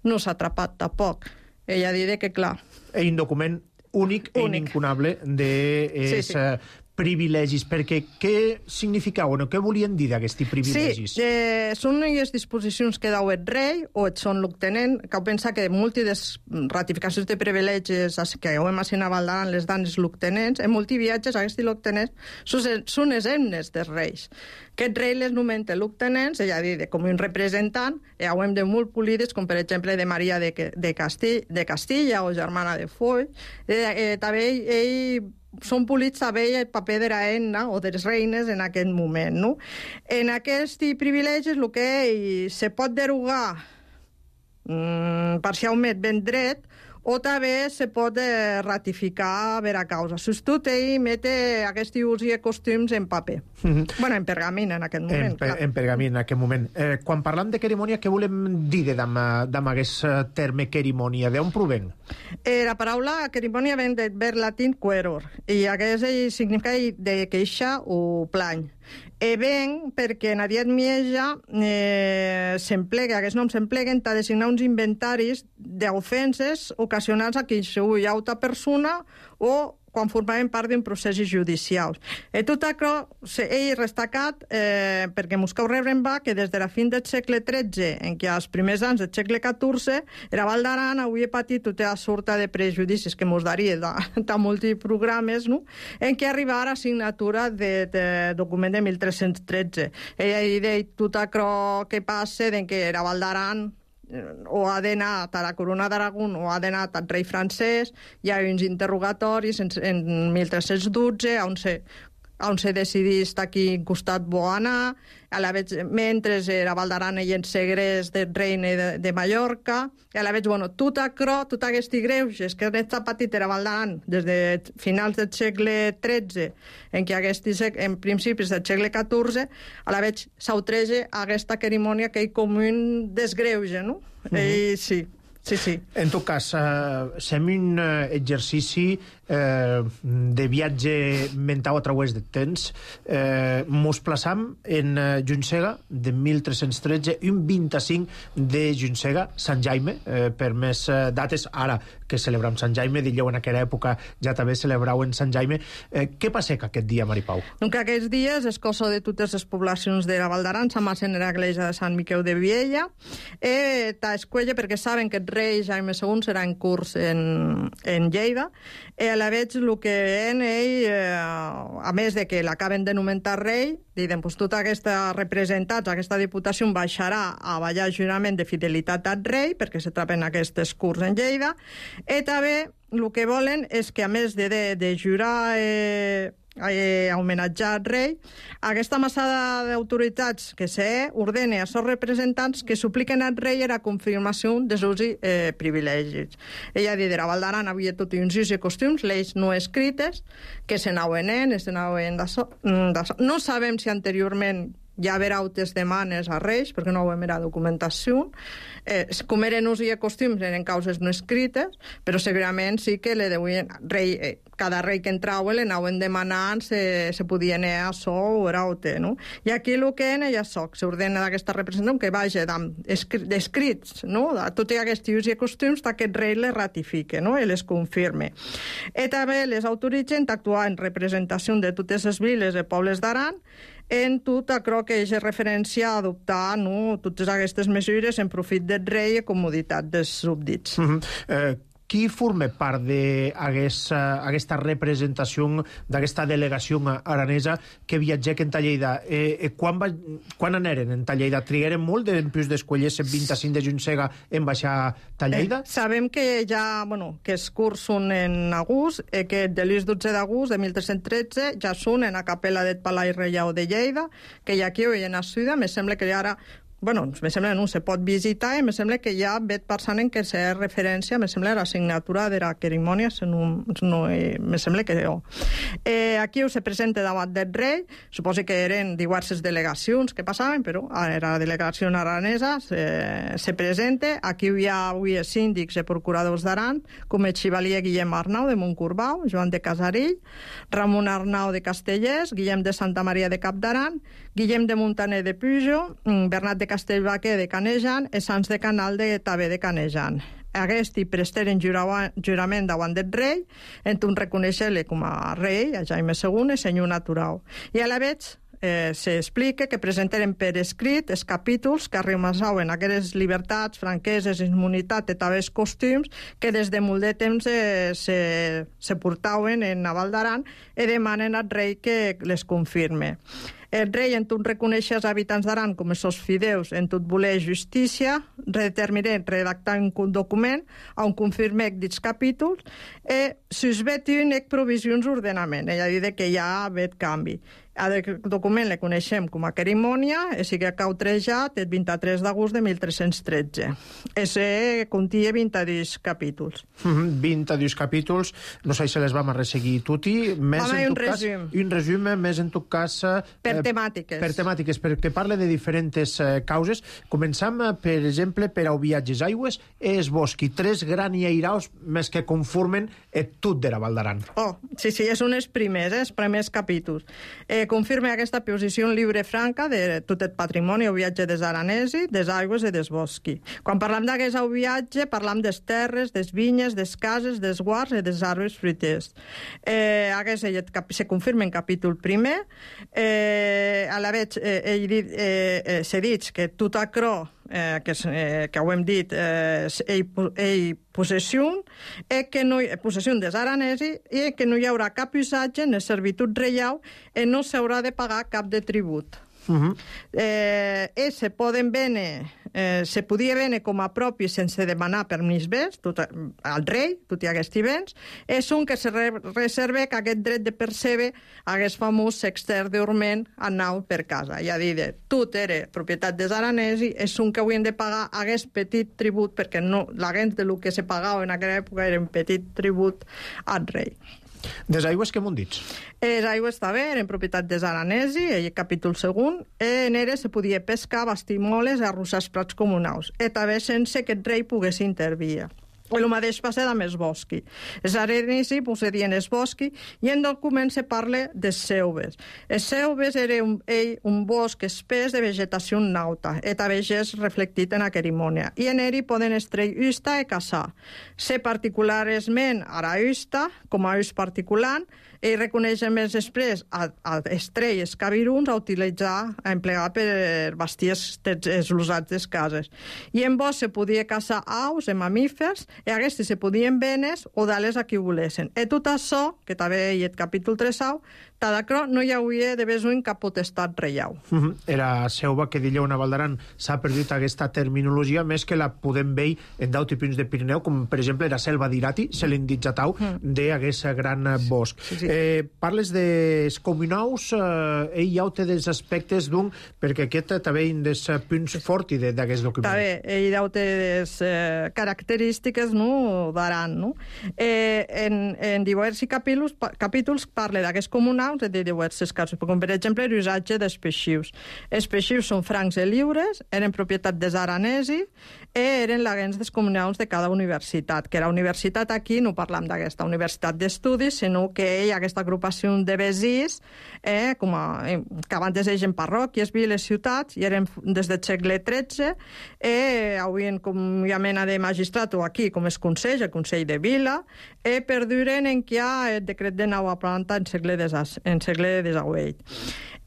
no s'ha atrapat tampoc. Ella diré que, clar... És un document únic, únic. i incunable de... Sí, sí. privilegis, perquè què significaven o què volien dir d'aquests privilegis? Sí, eh, són les disposicions que deu el rei o et són l'obtenent, que heu pensat que múltiples ratificacions de privilegis que heu imaginat a Val d'Aran les dan els l'obtenents, en multiviatges aquests l'obtenents són els himnes dels reis. Aquest rei les nomenta l'obtenents, ella dit, com un representant, i ho hem de molt polides, com per exemple de Maria de, de, Castilla, de Castilla o germana de Foix. Eh, eh, també ell, ell són polits també el paper de la reina o de les reines en aquest moment. No? En aquests privilegis el que se pot derogar mm, parcialment ben dret o també se pot eh, ratificar per a causa. Sostut ell mete aquests ús i costums en paper. Mm -hmm. Bueno, en pergamin en aquest moment. En, per, en pergamin en aquest moment. Eh, quan parlam de Querimònia, què volem dir amb aquest terme Querimònia? D'on proven? Eh, la paraula Querimònia ven del verb latín queror, i aquest significa de queixa o plany. E ben perquè en Ariet Mieja eh, s'emplega, aquests noms s'empleguen per designar uns inventaris d'ofenses ocasionals a qualsevol altra persona o quan formaven part d'un procés judicial. I tot això, ell destacat eh, perquè Moscou Rebren va que des de la fin del segle tretze, en què als primers anys del segle catorze, era Val d'Aran havia patit tota la sorta de prejudicis que mos daria de, de molts programes, no? En què arribava a signatura de, de document de mil tres-cents tretze. Ella deia tot això que passa, en què era Val d'Aran o ha d'anar a la Corona d'Aragó o ha d'anar al rei francès. Hi ha uns interrogatoris en, en mil tres-cents dotze on se, on se decidís a quin costat vol anar, a la vez, mentre era Val d'Aran i en segrest del reine de, de Mallorca, i a la vez, bueno, tot això, tot aquests greuges que aquesta petit era Val d'Aran des de finals del segle tretze, en què aquests, en principis del segle catorze, a la vez s'autreja aquesta Querimònia que hi com un desgreuge, no? Mm -hmm. I sí, sí, sí. En tot cas, eh, fem un eh, exercici eh, de viatge mental a través del temps. Eh, mos plaçam en eh, Juncega de mil tres-cents tretze, un vint-i-cinc de Juncega, Sant Jaime, eh, per més eh, dates, ara que celebrem Sant Jaime, dilleu en aquella època ja també celebraven Sant Jaime. Eh, què passa aquest dia, Maripau? Donc aquests dies és cosa de totes les poblacions de la Val d'Aran, s'amassen en l'església de Sant Miquel de Viella, eh, t'escuella perquè saben que el rei Jaime segon serà en curs en, en Lleida, i a la vegada el que en ell, eh, a més de que l'acaben de nomentar rei, diuen, pues, tota aquesta representats, aquesta diputació baixarà a ballar jurament de fidelitat al rei, perquè se trapen aquestes curs en Lleida, i també el que volen és que, a més de, de, de jurar eh, eh, a homenatjar el rei, aquesta massada d'autoritats que se ordena a seus representants que supliquen al rei la confirmació dels seus eh, privilegis. Ella dit, a Valdaran havia tot uns usos i costums, lleis no escrites, que se n'auen en, se n'auen de so, de so. No sabem si anteriorment hi ha haver altres demanes a reis, perquè no ho hem era documentació. Eh, com eren us i costums, eren causes no escrites, però segurament sí que le deuen, rei, eh, cada rei que entrava le anaven demanant se, se podia anar a so o era altre, no? I aquí el que en ja soc, s'ordena d'aquesta representació que vagi d'escrits, no? De tots aquests us i costums d'aquest rei les ratifique, no? I les confirme. I també les autoritzen a actuar en representació de totes les viles i pobles d'Aran, en tot allò que és referència a adoptar, no, totes aquestes mesures en profit del rei i comoditat dels súbdits. Mm-hmm. eh, qui forma part d'aquesta representació, d'aquesta delegació aranesa que viatgec en Lleida? Eh, quan, va, quan aneren en Lleida? Trigueren molt en plus d'escollir el vint-i-cinc de juny en baixar a Lleida? Eh, sabem que ja, bueno, que els curs són en agost, eh, que de l'ús dotze d'agost de mil tres-cents tretze ja són en la capella del Palau Reial de Lleida, que ja aquí ho hi ha nascuda, me sembla que ara bueno, me sembla que no se pot visitar i me sembla que ja vet passant en què se referència, me sembla la signatura de la cerimònia, no, no, me sembla que no. Eh, aquí se presenta davant del rei, suposo que eren diverses delegacions que passaven, però era la delegació aranesa, se, se presenta, aquí hi ha avui els síndics i procuradors d'Aran, com el xivalier Guillem Arnau de Montcorbau, Joan de Casarill, Ramon Arnau de Castellers, Guillem de Santa Maria de Cap d'Aran, Guillem de Montaner de Pujo, Bernat de Castellbaquer de Canejan i Sants de Canal de Tabé de Canejan. Aquests presteren jurament davant del rei, en un reconèixer-li com a rei, a Jaime segon, i senyor natural. I a la vegada eh, s'explica que presentaren per escrit els capítols que arrimassaven aquestes llibertats, franqueses, immunitat i també els costums que des de molt de temps eh, se, se portaven en Naval d'Aran i demanen al rei que les confirme. El rei, en tot reconèixer els habitants d'Aran com els seus fideus, en tot voler justícia, determina redactar un document on confirma aquests capítols i s'esvetin provisions d'ordenament. Ella diu que hi ha aquest canvi. El document el coneixem com a cerimònia i sigui cautrejat el vint-i-tres d'agost de mil tres-cents tretze. Ese contia vint-i-dos capítols. Mm-hmm, vint-i-dos capítols, no sé si les vam a resseguir tutti. Vam a un resum. Un resum, més en tot cas... Per temàtiques. Per temàtiques, perquè parla de diferents eh, causes. Començam, per exemple, per a viatges aigües, és bosqui, tres graniairaus més que conformen et tot de la Val d'Aran. Oh, sí, sí, és un dels primers, eh, els primers capítols. Eh, confirma aquesta posició lliure franca de tot el patrimoni o viatge des aranesi, des aigües i des bosqui. Quan parlam d'aquest viatge, parlam des terres, des vinyes, des cases, des guards i des arbres fruiters. Eh, aquest se confirma en capítol primer. Eh, a la vegada, eh, ell dit, eh, eh, s'ha dit que tot acrò Eh, que, eh, que ho hem dit, eh, ell, ell possessió, i que no, possessió des aranesi, i que no hi haurà cap usatge en servitud reial i no s'haurà de pagar cap de tribut. Uh-huh. eh, i se poden vendre, eh, se podia vendre com a propi sense demanar permís bes tot, al rei, tot i aquests béns, és un que se re reserva que aquest dret de percebre aquest famós sexter d'Orment anau per casa. Ja dit, tot era propietat dels aranesi, és un que haurien de pagar aquest petit tribut, perquè no, la gent del que se pagava en aquella època era un petit tribut al rei. Des aigües què m'ho dits? Les aigües també eren propietat dels aranesi, el capítol segon, en elles se podia pescar, bastir moles i arrossar els prats comunals, i també sense que el rei pogués intervir. El mateix passa amb els bosqui. Els aranesi possedien els bosqui i en document se parla de seuves. Els seuves era un, ell, un bosc espès de vegetació nauta, i també és reflectit en la cerimònia. I en ell poden estreir usta i caçar. Se particularment a la usta, com a ús particular, ell reconeix més després a, a estrell els cabiruns a utilitzar, a emplear per bastir els usats des cases. I en vos se podia caçar aus e mamífers, i aquests se podien venes o dar-les a qui volessin. I tot això, que també hi ha el capítol tres au, tadacro no hi hauria de besuin cap potestat reial. Uh -huh. Era seuva que dillau a Valdaran s'ha perdut aquesta terminologia, més que la podem veure en d'autres punts de Pirineu, com per exemple la selva d'Irati, se l'inditjatau mm. d'aquest gran bosc. Sí, sí. Eh, parles dels comunaus, eh, ell ja ho té dels aspectes d'un, perquè aquest també és dels punts forts d'aquest document. També, ell ja ho té des eh, característiques, no?, d'Aran, no? Eh, en, en diversos capítols, capítols parla d'aquests comunaus de diversos casos, com per exemple l'usatge dels peixius. Els peixius són francs i lliures, eren propietat dels aranesi i eren l'agents dels comunaus de cada universitat, que la universitat aquí no parlam d'aquesta universitat d'estudis, sinó que hi ha aquesta agrupació de vesís, eh, com a, eh, que abans es deien parròquies, viles, ciutats, i eren des del segle tretze, i havien com hi ha mena de magistrat o aquí, com es consell, el Consell de Vila, i perduren en què hi ha el decret de nova planta en segle en segle desavuit.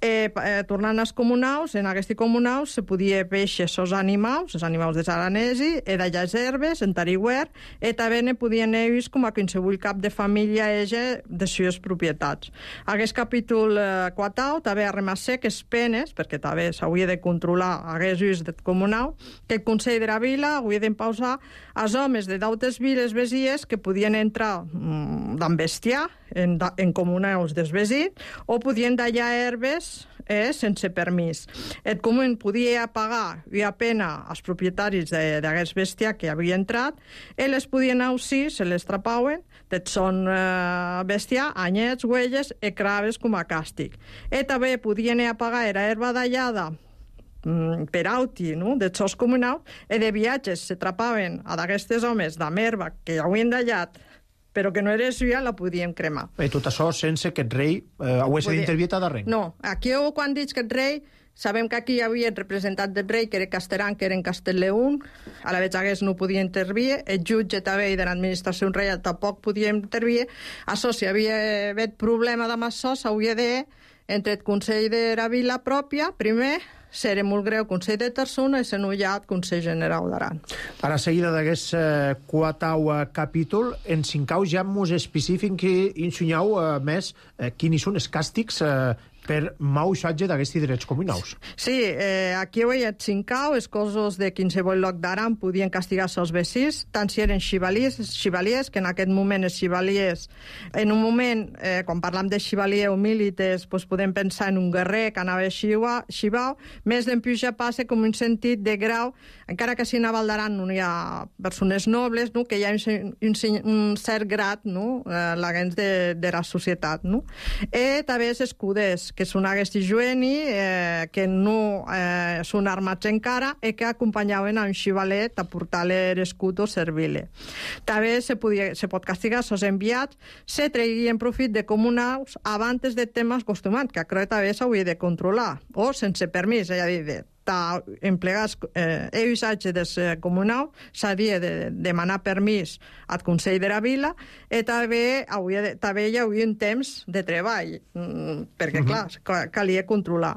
Eh, eh, tornant als comunaus, en aquests comunaus se podia peixer els animals, els animals dels aranesi, i d'allà les herbes, en tariguer, i també ne podien ells com a qualsevol cap de família ege de les seves propietats. Aquest capítol eh, quatau també ha remassé que es penes, perquè també s'hauria de controlar aquests ulls del comunau, que el Consell de la Vila hauria d'empausar als homes de d'altres viles vesies que podien entrar mm, d'en bestiar en, en comunaus dels vesins o podien dallar herbes eh, sense permís. El comú podia pagar via pena als propietaris d'aquest bestiar que havia entrat i les podien ausir, se les trapauen, de son eh, bestiar, anyets, huelles i craves com a càstig. I també podien pagar la herba dallada per auti, no?, dels seus comunaus, i de viatges se trapaven a d'aquestes homes d'amb herba que havien dallat però que no era suya, la podíem cremar. I tot això sense que el rei eh, hagués d'intervietar de res? No, aquí quan dic que el rei, sabem que aquí hi havia el representant del rei, que era Casteran, que era en Castellleón, a la vegada no podia intervir, el jutge també de l'administració reial tampoc podia intervir. Això, si havia hagut problema amb això, s'hauria de, entre el Consell de la Vila pròpia, primer, seré molt greu Consell de Terçona i s'enullat Consell General d'Aran. A la seguida d'aquest eh, quatau capítol, en cincau ja mos especifiquen que insunyau eh, més eh, quins són els càstigs eh, per mal usatge d'aquests drets comunaus. Sí, eh, aquí ho hi ha cincau, els cossos de qualsevol lloc d'Aran podien castigar-se els vesins, tant si eren xivaliers, xivaliers, que en aquest moment els xivaliers, en un moment, eh, quan parlam de xivalier o milites, pues podem pensar en un guerrer que anava a xivau, més d'empuix ja passa com un sentit de grau, encara que si a Val d'Aran no hi ha persones nobles, no?, que hi ha un, un, un cert grad, no?, eh, l'agents de, de la societat, no? I també els escuders, que són aquests jueni, eh, que no eh, són armats encara i que acompanyaven a un xivalet a portar-li l'escut o servir-li. També se, podia, se pot castigar els enviats, se treguien profit de comunaus abans de temes acostumats, que això també s'hauria de controlar, o sense permís, és a dir, de empleats eh, el usatge dels eh, comunaus s'havia de demanar permís al Consell de la Vila i també, hauria de, també hi hauria un temps de treball mm, perquè, uh-huh. clar, calia controlar.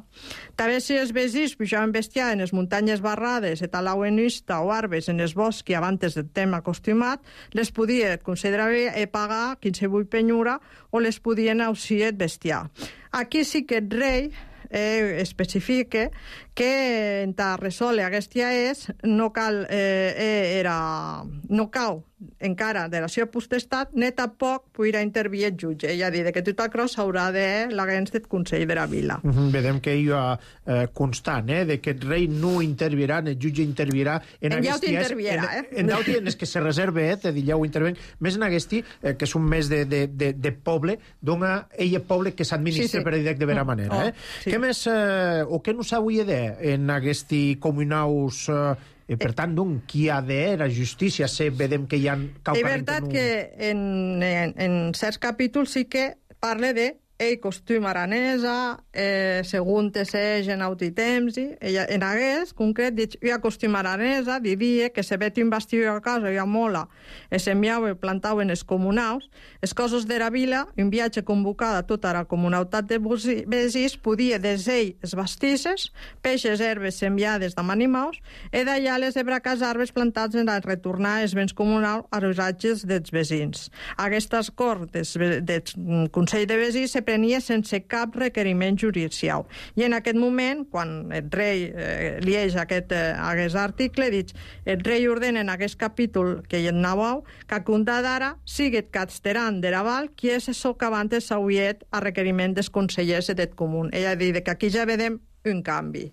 També si els vesins pujaven bestiar en les muntanyes barrades i talauen usta o arbres en els boscs abans del temps acostumat, les podia el Consell de la Vila pagar qualsevol penyura o les podien ausir el bestiar. Aquí sí que el rei Eh, especifica que en ta resoldre aquesta és no cal eh, era no cau encara de la seva potestat ni tampoc podrà intervir el jutge, és a dir, que tot això s'haurà de l'agents del Consell de la Vila. Uh -huh. Vedem que hi ha eh, constant, eh, de que el rei no intervirà, el jutge intervirà en, en aquests dies, intervirà, eh? en, en d'altres en els que se reserva, eh, de dir, ja ho interven, més en aquest, eh, que és un mes de, de, de, de poble, dona ell el poble que s'administra, sí, sí, per dir de vera manera. Eh? Oh, sí. Què més, eh, o què no s'hauria de en aquest comunaus... Eh, I, per tant, doncs, qui ha de la justícia? Se vedem que hi ha... És veritat que en, en, en certs capítols sí que parla de ell costum aranesa, eh, segon te segen autitemsi, ella en hagués, concret, dic, io costum aranesa, didia que se vet un bastiu a casa, io mola, e semmiau e plantau en es comunaus, es coses d'era vila, un viatge convocada a tota la comunautat de Besís, podia des ell es bastisses, peixes herbes sembiades d'am animaus, e d'allà les ebracas arbres plantats en a retornar els béns comunals a los atges dels vesins. Aquestes corts del, del Consell de Besís se prenia sense cap requeriment judicial. I en aquest moment, quan el rei eh, lieix aquest, eh, aquest article, dic, el rei ordena en aquest capítol que hi anàveu que a comptar d'ara siguet casteran de Raval qui és això que abans s'hauiet a requeriment dels consellers d'et comú. Ella diu que aquí ja vedem un canvi.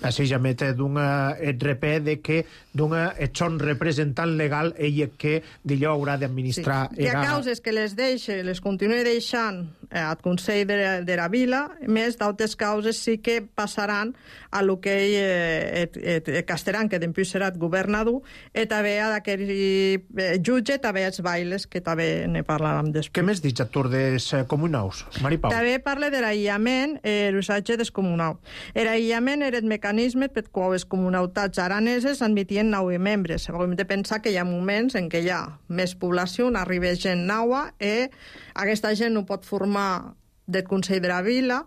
Així ja met d'una et repè de que d'una et són representant legal ella que d'allò haurà d'administrar. Sí. Hi ha causes que les deixe, les continue deixant eh, al Consell de, de la Vila, més d'altres causes sí que passaran a lo que ell eh, et, et, et casteran, que després serà governador, i també a d'aquell eh, jutge, també els bailes, que també ne parlarem després. Què més dius a tur dels comunaus, Mari Pau? També parla de l'aïllament i eh, l'usatge dels comunaus. L'aïllament era el mecanisme per qual les comunautats araneses admitien nou membres. Hem de pensar que hi ha moments en què hi ha més població, arriba gent nova, i aquesta gent no pot formar del Consell de la Vila,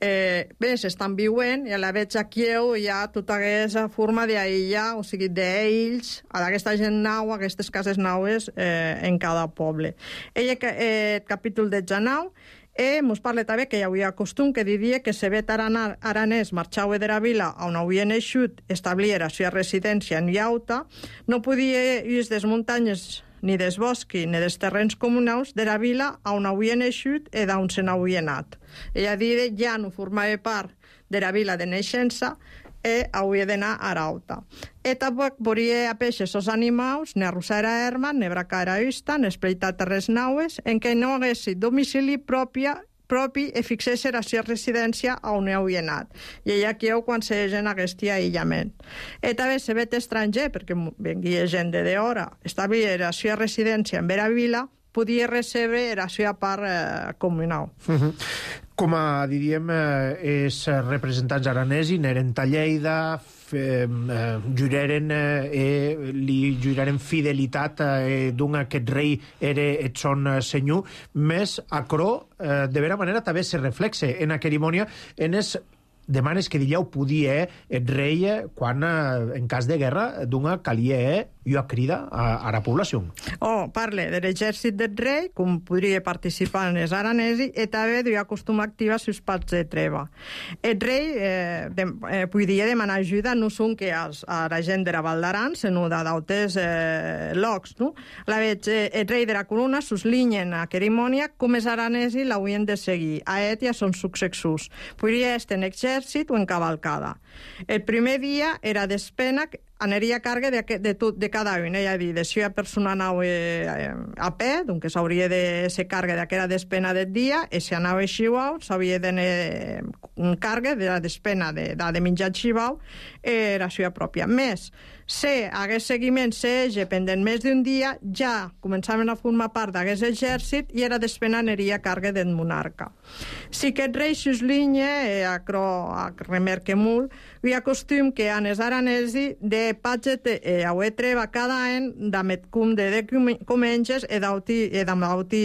eh, bé, s'estan viuent, i a la veig aquí hi ha tota aquesta forma d'aïllar, o sigui, d'ells, a aquesta gent nau, aquestes cases naues eh, en cada poble. Ella, eh, capítol dotze nou, E mos parla també que hi havia costum que diria que se vet aranès marxava de la vila on havia naixut, establia la seva residència en Iauta, no podia ir des muntanyes ni des boscs ni des terrenys comunals de la vila on havia naixut i d'on se n'havia anat. Ella diria ja no formava part de la vila de naixença i hauria d'anar a Arauta. E tampoc volia a peixes els animals, ne arrossar a herma, ne bracar a usta, ne espleitar terres naues, en què no haguessi domicili pròpia, propi i fixés la seva residència on havia anat. I ella aquí ho quan se gent aquest aïllament. I també se vet estranger, perquè venguia gent de d'hora, establia la seva residència en Vera Vila, podia rebre la seva part eh, comunal. Uh-huh. Com a, diríem, eh, els representants aranesos eren a Lleida, eh, juraren, eh, li juraren fidelitat eh, d'un aquest rei era et son senyor, més acrò, eh, de vera manera, també se reflexe en la cerimònia en els demanes que dillau podia el rei quan, en cas de guerra, d'una calia i a crida a, a la població. Oh, parle de l'exèrcit del rei, com podria participar en els aranesos, i també duia costum activa sus parts de treva. El rei eh, de, eh, podia demanar ajuda no són que als, a la gent de la Val d'Aran, sinó d'altres eh, llocs. No? La veig, eh, el rei de la corona suslinyen a cerimònia com els aranesos l'haurien de seguir, a et i a son successors. Podria estar en exèrcit o en cavalcada. El primer dia era despena aniria a càrrega de, de, tot, de cada un. Ella dir, de si una persona anava eh, a peu, doncs s'hauria de ser càrrega d'aquella despena del dia, i si anava a xivau, s'havia de eh, càrrega de la despena de, de, de menjar xivau, eh, la seva pròpia. Més, si hagués seguiment s'ege pendent més d'un dia, ja començaven a formar part d'aquest exèrcit i era despena aniria a càrrega del monarca. Si aquest rei s'uslinya, eh, acro, a remerque molt, hi ha costum que en els aranesi de patget e aue treva cada any d'amet cum de de comenges e d'auti e d'auti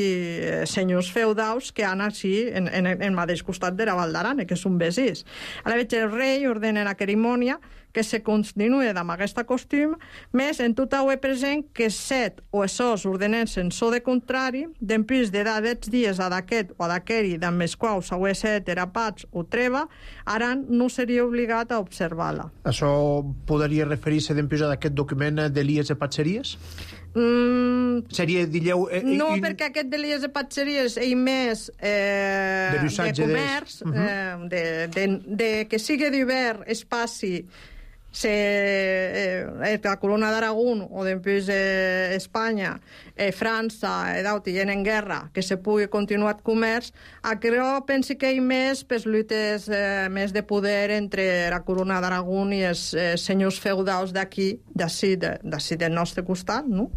senyors feudaus que han així en, en, en el mateix costat de la Val d'Aran, que són vesís. A la veig el rei ordena la cerimònia que se continue amb aquesta costum, més en tot aue present que set o esos ordenensen so de contrari, d'empís de dats dies a d'aquest o a d'aqueri d'amb els quals aue set era pats o treva, Aran no seria obligat a observar-la. Això podria referir-se d'empís a d'aquest document d'Elies de Patxeries? Mm, seria, dilleu... Eh, no, in... perquè aquest d'Elies de Patxeries ell més eh, de, de comerç, des... uh-huh. eh, de, de, de que sigui d'hivern espaci se eh, la Corona d'Aragón o després eh, Espanya, eh, França, eh, d'auti en guerra, que se pugui continuar el comerç, aquello pensi que hi més per lluites eh, més de poder entre la Corona d'Aragón i els eh, senyors feudals d'aquí, d'ací, d'ací del nostre costat, no?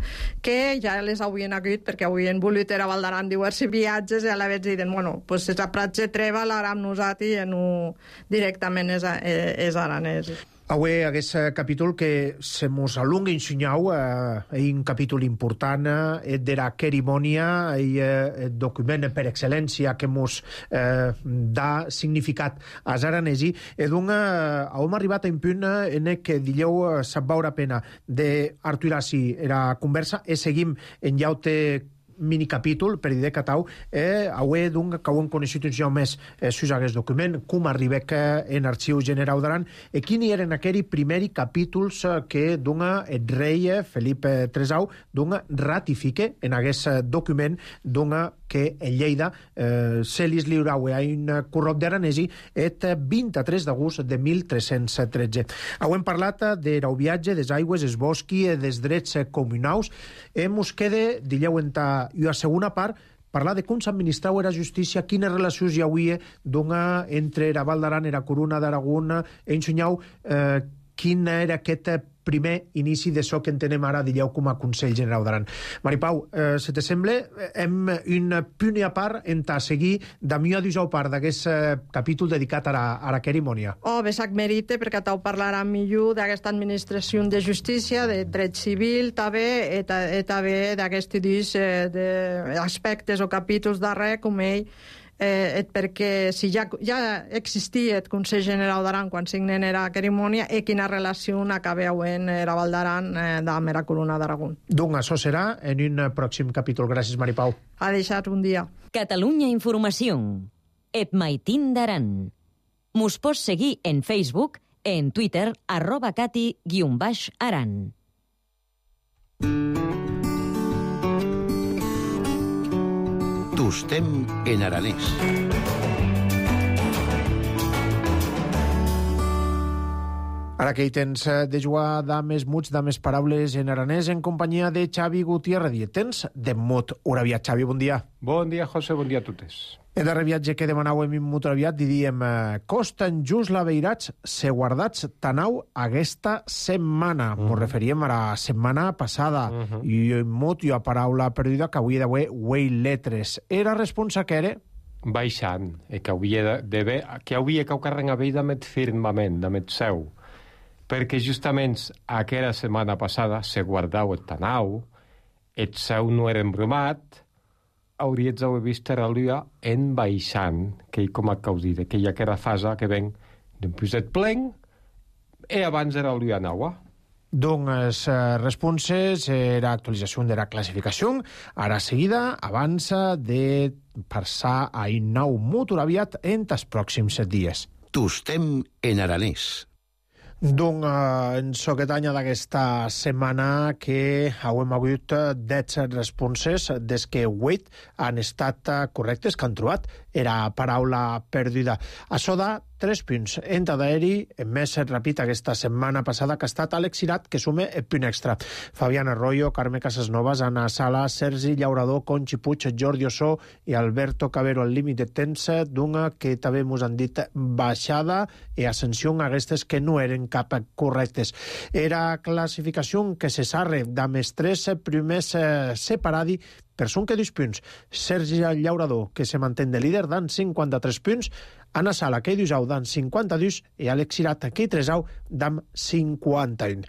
Que ja les haurien hagut, perquè haurien volut era Valdaran diversos viatges i a la vegada diuen, bueno, pues és a prats de treva, l'aram nosaltres i no directament és, és aranès. Avui, aquest capítol que se mos alunga ensenyau, eh, un capítol important, eh, d'era cerimònia, i eh, document per excel·lència que mos eh, dà significat als aranesi, e donc eh, hem arribat a un punt en què dileu eh, sap vaure pena d'arturassi era conversa, e seguim en llaute mini capítol per dir que tau eh, avui donc que ho hem coneixit un jau més eh, sus aquest document, com arribek en Arxiu Generau d'Aran e quini eren aquells primers capítols que donga el rei Felip tresau donga ratifique en aquest document donga que en Lleida eh, se li lliurau a un corrop d'aranesi el vint-i-tres d'agost de mil tres-cents tretze. Hem parlat del viatge, des aigües, des bosqui, des drets comunals. E mos queda, dileu en ta i a segona part, parlar de com s'administrau era justícia, quines relacions hi hauria dona entre la Val d'Aran i la Corona d'Aragón, ensenyau eh, quin era aquest primer inici de so que entenem ara, dileu, com a Consell Generau d'Aran. Maripau, eh, se te sembla, hem un punt a part en ta seguir de mi a dijau part d'aquest eh, capítol dedicat a la, a la cerimònia. Oh, besac merite, perquè tau parlarà millor d'aquesta administració de justícia, de dret civil, també, i també d'aquest eh, d'aspectes o capítols darrer, com ell, Eh, perquè si ja, ja existia el Consell Generau d'Aran quan signen era cerimònia i quina relació acaba havent la Val d'Aran eh, amb la Corona d'Aragón. Doncs això serà en un pròxim capítol. Gràcies, Maripau. Ha deixat un dia. Catalunya Informació. Et maitin d'Aran. Mos pots seguir en Facebook, en Twitter, arroba cati guion baix aran. Tostem en aranès. Ara que hi tens de jugar dames muts, dames paraules en aranès en companyia de Xavi Gutiérrez. Tens de mot uraviat. Xavi, bon dia. Bon dia, José, bon dia a totes. El darrer viatge que demanàvem en mut uraviat diríem costen just la veirats se guardats tanau aquesta setmana. Mm. Mos referíem a la setmana passada. Mm -hmm. I mut i a paraula perduda que avui d'avui huei letres. Era responsa que era? Baixant, e que havia de ver, que havia que carren a veida met firmament, de met seu. Perquè justament aquella setmana passada se guardau el tanau, el seu no era embrumat, hauries d'haver vist la lua en baixant, que hi com a causida, que hi ha aquella fase que ven d'un puset plen i abans era la lua nova. Doncs eh, responses era actualització de la classificació. Ara seguida avança de passar a un nou motor aviat en els pròxims dies. Tostem en aranès. Doncs eh, en soquetanya d'aquesta setmana que hem hagut deu responses des que vuit han estat correctes, que han trobat era paraula perduda. Això da tres punts. En d'aeri, més ràpid aquesta setmana passada, que ha estat Àlex Cirat, que sume el punt extra. Fabián Arroyo, Carme Casasnovas, Anna Sala, Sergi Llaurador, Conchi Puig, Jordi Ossó i Alberto Cabero al límit de temps d'una que també ens han dit baixada i ascensió a aquestes que no eren cap correctes. Era classificació que se sarre d'amb els tres primers eh, separadi per són que dos punts. Sergi Llaurador, que se mantén de líder, dan cinquanta-tres punts. Anna Sala, que hi dusau, dan cinquanta-dos, i Àlex Cirat, que hi tresau, dan cinquanta-un.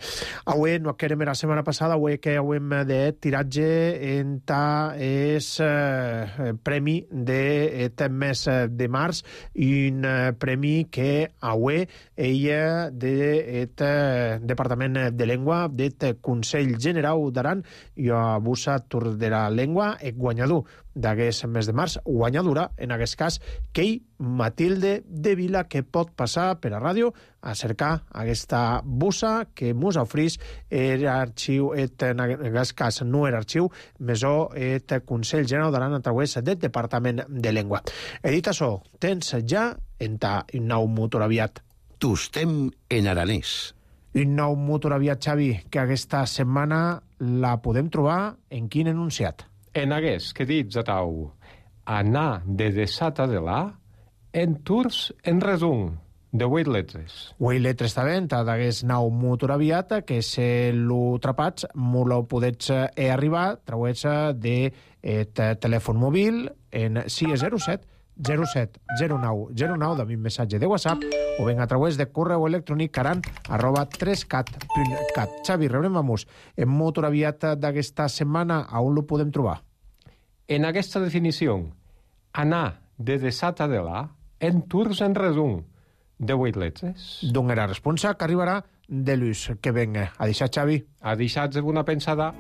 Avui, no querem la setmana passada, avui que hem de tiratge en ta és eh, premi d'aquest mes de març, un eh, premi que avui ella d'aquest eh, Departament de Llengua, d'aquest Consell Generau d'Aran, i a Busa Tour de la Llengua, el guanyador d'aquest mes de març, guanyadora, en aquest cas, Kei Matilde de Vila, que pot passar per a ràdio a cercar aquesta bussa que mos ofrís era arxiu, et, en aquest cas no era arxiu, mesó et Consell Generau d'Aran a través del Departament de Llengua. He dit això, tens ja en ta nou motor aviat. Tostem en aranès. Un nou motoraviat, Xavi, que aquesta setmana la podem trobar en quin enunciat? En hagués que dits a tau anar de desata de la en tours en resum de vuit letres. Vuit letres també, d'aguest nou motoraviat, que se lo trapats, mo lo podets eh, arribar, trauets de eh, telèfon mòbil en sis zero set zero set zero nou zero nou, de mi missatge de WhatsApp, o ben a través de correu electrònic caran arroba tres cat punt cat. Xavi, rebrem amb us. En motoraviat d'aquesta setmana, a on lo podem trobar? En aquesta definició, anar de desata de la en tours en resum de vuit letres. D'on era responsa que arribarà de l'ús. Que venga. A deixar, Xavi. A deixar-vos una pensada.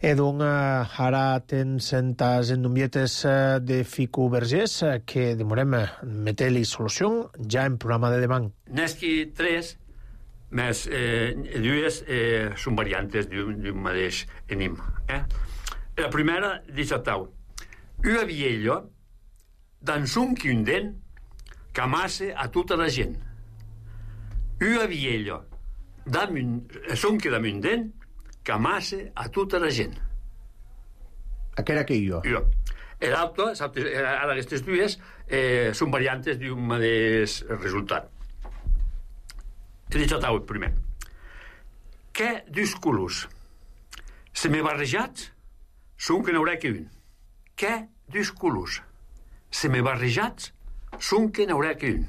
Edon, ara tens centes endombietes de Fico Vergés que demorem meter-li solució ja en programa de demà. N'esqui tres, més eh, dues eh, són variantes d'un mateix enigma. Eh? La primera, dice tau, una vieja dans un quinden que amasse a tota la gent. Una vieja son que damunt den que amasse a tota la gent. Aquera que jo. Jo. L'altre, ara aquestes dues, eh, són variantes d'un mateix resultat. He dit tau, primer. Que dos colors se me barrejats són que n'haurà que un. Que dos colors se me barrejats són que n'haurà que un.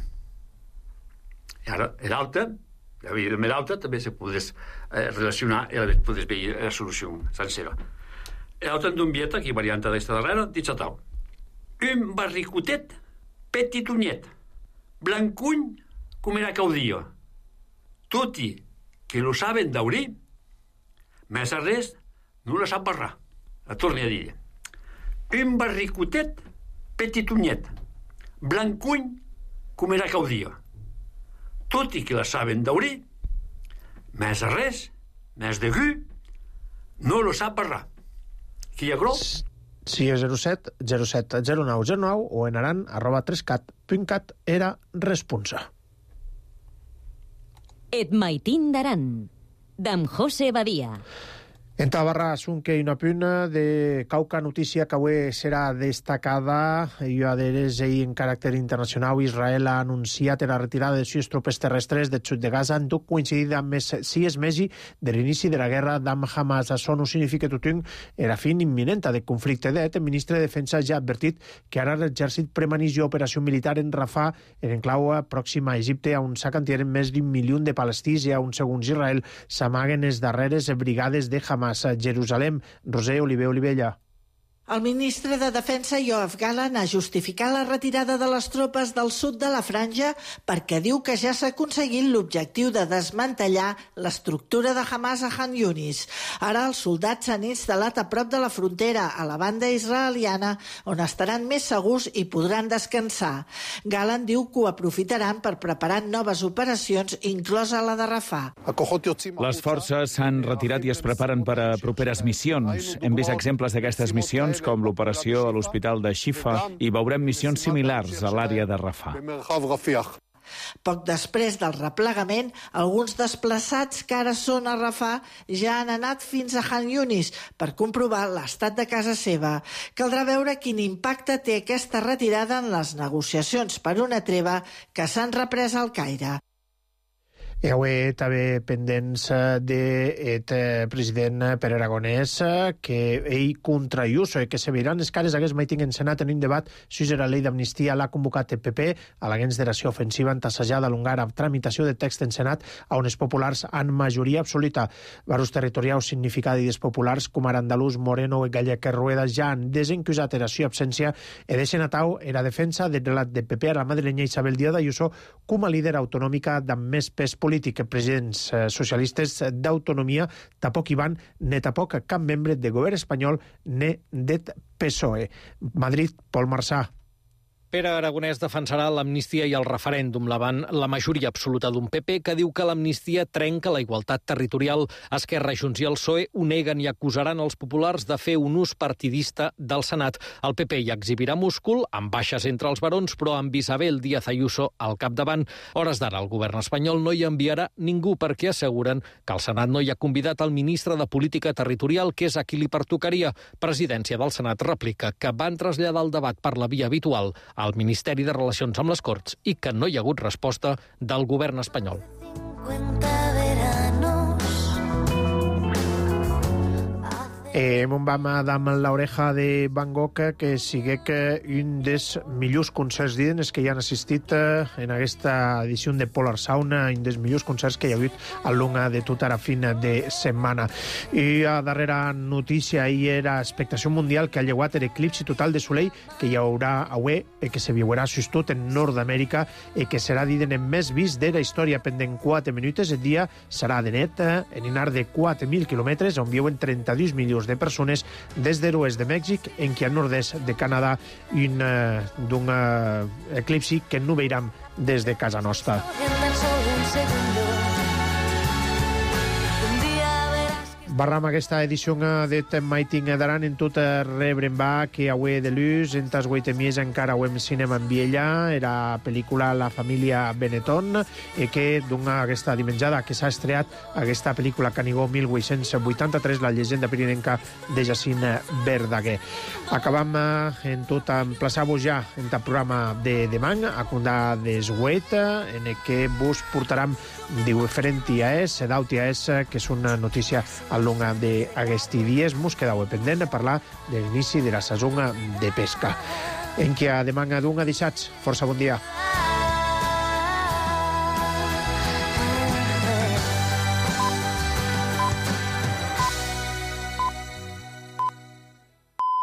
I ara, l'altre, amb l'altre també se podés eh, relacionar i podés veure la solució sencera. L'altre d'un vieta, aquí varianta d'esta darrera, dit tau. Un barricotet petitonyet, blancuny com era caudia. Tutti que lo saben daurir, més a res no la sap barrar. La torni a dir. Un barricotet petitonyet, blancuny com era caudia. Tutti que la saben daurir, més a res, més de gu, no lo sap barrar. Qui hi ha gros? Sí, zero set zero set zero nou zero nou o en aran arroba tres cat punt cat era responsa. Et maitin d'aran, d'en José Badia. En Tabarra, Sunque i una puna de cauca notícia que avui serà destacada. Jo adheres ahir en caràcter internacional. Israel ha anunciat la retirada de sis tropes terrestres del sud de Gaza en tot coincidit amb més sis mesos de l'inici de la guerra d'Am Hamas. Això no significa tothom la fin imminent del conflicte. El ministre de Defensa ja ha advertit que ara l'exèrcit premaneix operació militar en Rafah, en enclau pròxima a Egipte, on s'acantieren més d'un milió de palestins i on, segons Israel, s'amaguen les darreres brigades de Hamas a Jerusalem. Roser Oliver Olivella. El ministre de Defensa, Yoav Gallant, ha justificat la retirada de les tropes del sud de la franja perquè diu que ja s'ha aconseguit l'objectiu de desmantellar l'estructura de Hamas a Han Yunis. Ara els soldats s'han instal·lat a prop de la frontera, a la banda israeliana, on estaran més segurs i podran descansar. Gallant diu que ho aprofitaran per preparar noves operacions, inclosa la de Rafah. Les forces s'han retirat i es preparen per a properes missions. Hem vist exemples d'aquestes missions com l'operació a l'hospital de Shifa i veurem missions similars a l'àrea de Rafah. Poc després del replegament, alguns desplaçats que ara són a Rafah ja han anat fins a Han Yunis per comprovar l'estat de casa seva. Caldrà veure quin impacte té aquesta retirada en les negociacions per una treva que s'han reprès al Caire. I avui també pendents del president Pere Aragonès que ell contra Ayuso i que se veiran les cares d'aquest meeting en Senat en un debat si la llei d'amnistia l'ha convocat el P P a la generació ofensiva entassejada a l'ungar amb tramitació de text en Senat on els populars han majoria absoluta. Barus territorials significadis populars com ara andalús, moreno i gallec Rueda ja han desencusat la seva absència i deixen a tau la defensa del relat del P P a la madrilenya Isabel Díaz Ayuso com a líder autonòmica amb més pes polític. Presidents socialistes d'autonomia tampoc hi van, ne tampoc cap membre de govern espanyol ne det P S O E. Madrid, Pol Marsà. Pere Aragonès defensarà l'amnistia i el referèndum davant la majoria absoluta d'un P P que diu que l'amnistia trenca la igualtat territorial. Esquerra, Junts i el P S O E ho neguen i acusaran els populars de fer un ús partidista del Senat. El P P hi exhibirà múscul, amb baixes entre els barons, però amb Isabel Díaz Ayuso al capdavant. Hores d'ara, el govern espanyol no hi enviarà ningú perquè asseguren que el Senat no hi ha convidat el ministre de Política Territorial, que és a qui li pertocaria. Presidència del Senat replica que van traslladar el debat per la via habitual al Ministeri de Relacions amb les Corts i que no hi ha hagut resposta del govern espanyol. Eh, Mon vam amb l'oreja de Van Gogh, que sigue que un dels millors concerts d'Iden que hi han assistit eh, en aquesta edició de Polar Sound, un dels millors concerts que hi ha hagut al long de tota la fin de setmana. I a darrera notícia ahir era expectació mundial que ha llegat l'eclipsi total de soleil que hi haurà avui i que se viurà sustot en Nord-Amèrica i que serà d'Iden en més vist de la història pendent quatre minuts. El dia serà de net eh, en un arc de quatre mil quilòmetres on viuen trenta-dos milions de persones des de l'oest de Mèxic en qui al nord-est de Canadà un, uh, d'un uh, eclipsi que no veurem des de casa nostra. Barram aquesta edició de Maiting Daran en tot rebrem va que avui de luz, en tas guaitemies encara ho hem cinema en Viella, era pel·lícula La família Benetton, i que d'una aquesta dimenjada que s'ha estreat aquesta pel·lícula Canigó mil vuit-cents vuitanta-tres, la llegenda pirinenca de Jacint Verdaguer. Acabam en tot emplaçar-vos ja en el programa de demà, a condar d'esguet, en el que vos portarem diferent I A S, sedau I A S, que és una notícia al long d'aquests dies. Mos quedau pendent a parlar de l'inici de la saison de pesca. En què a demà d'un a dissats. Força bon dia.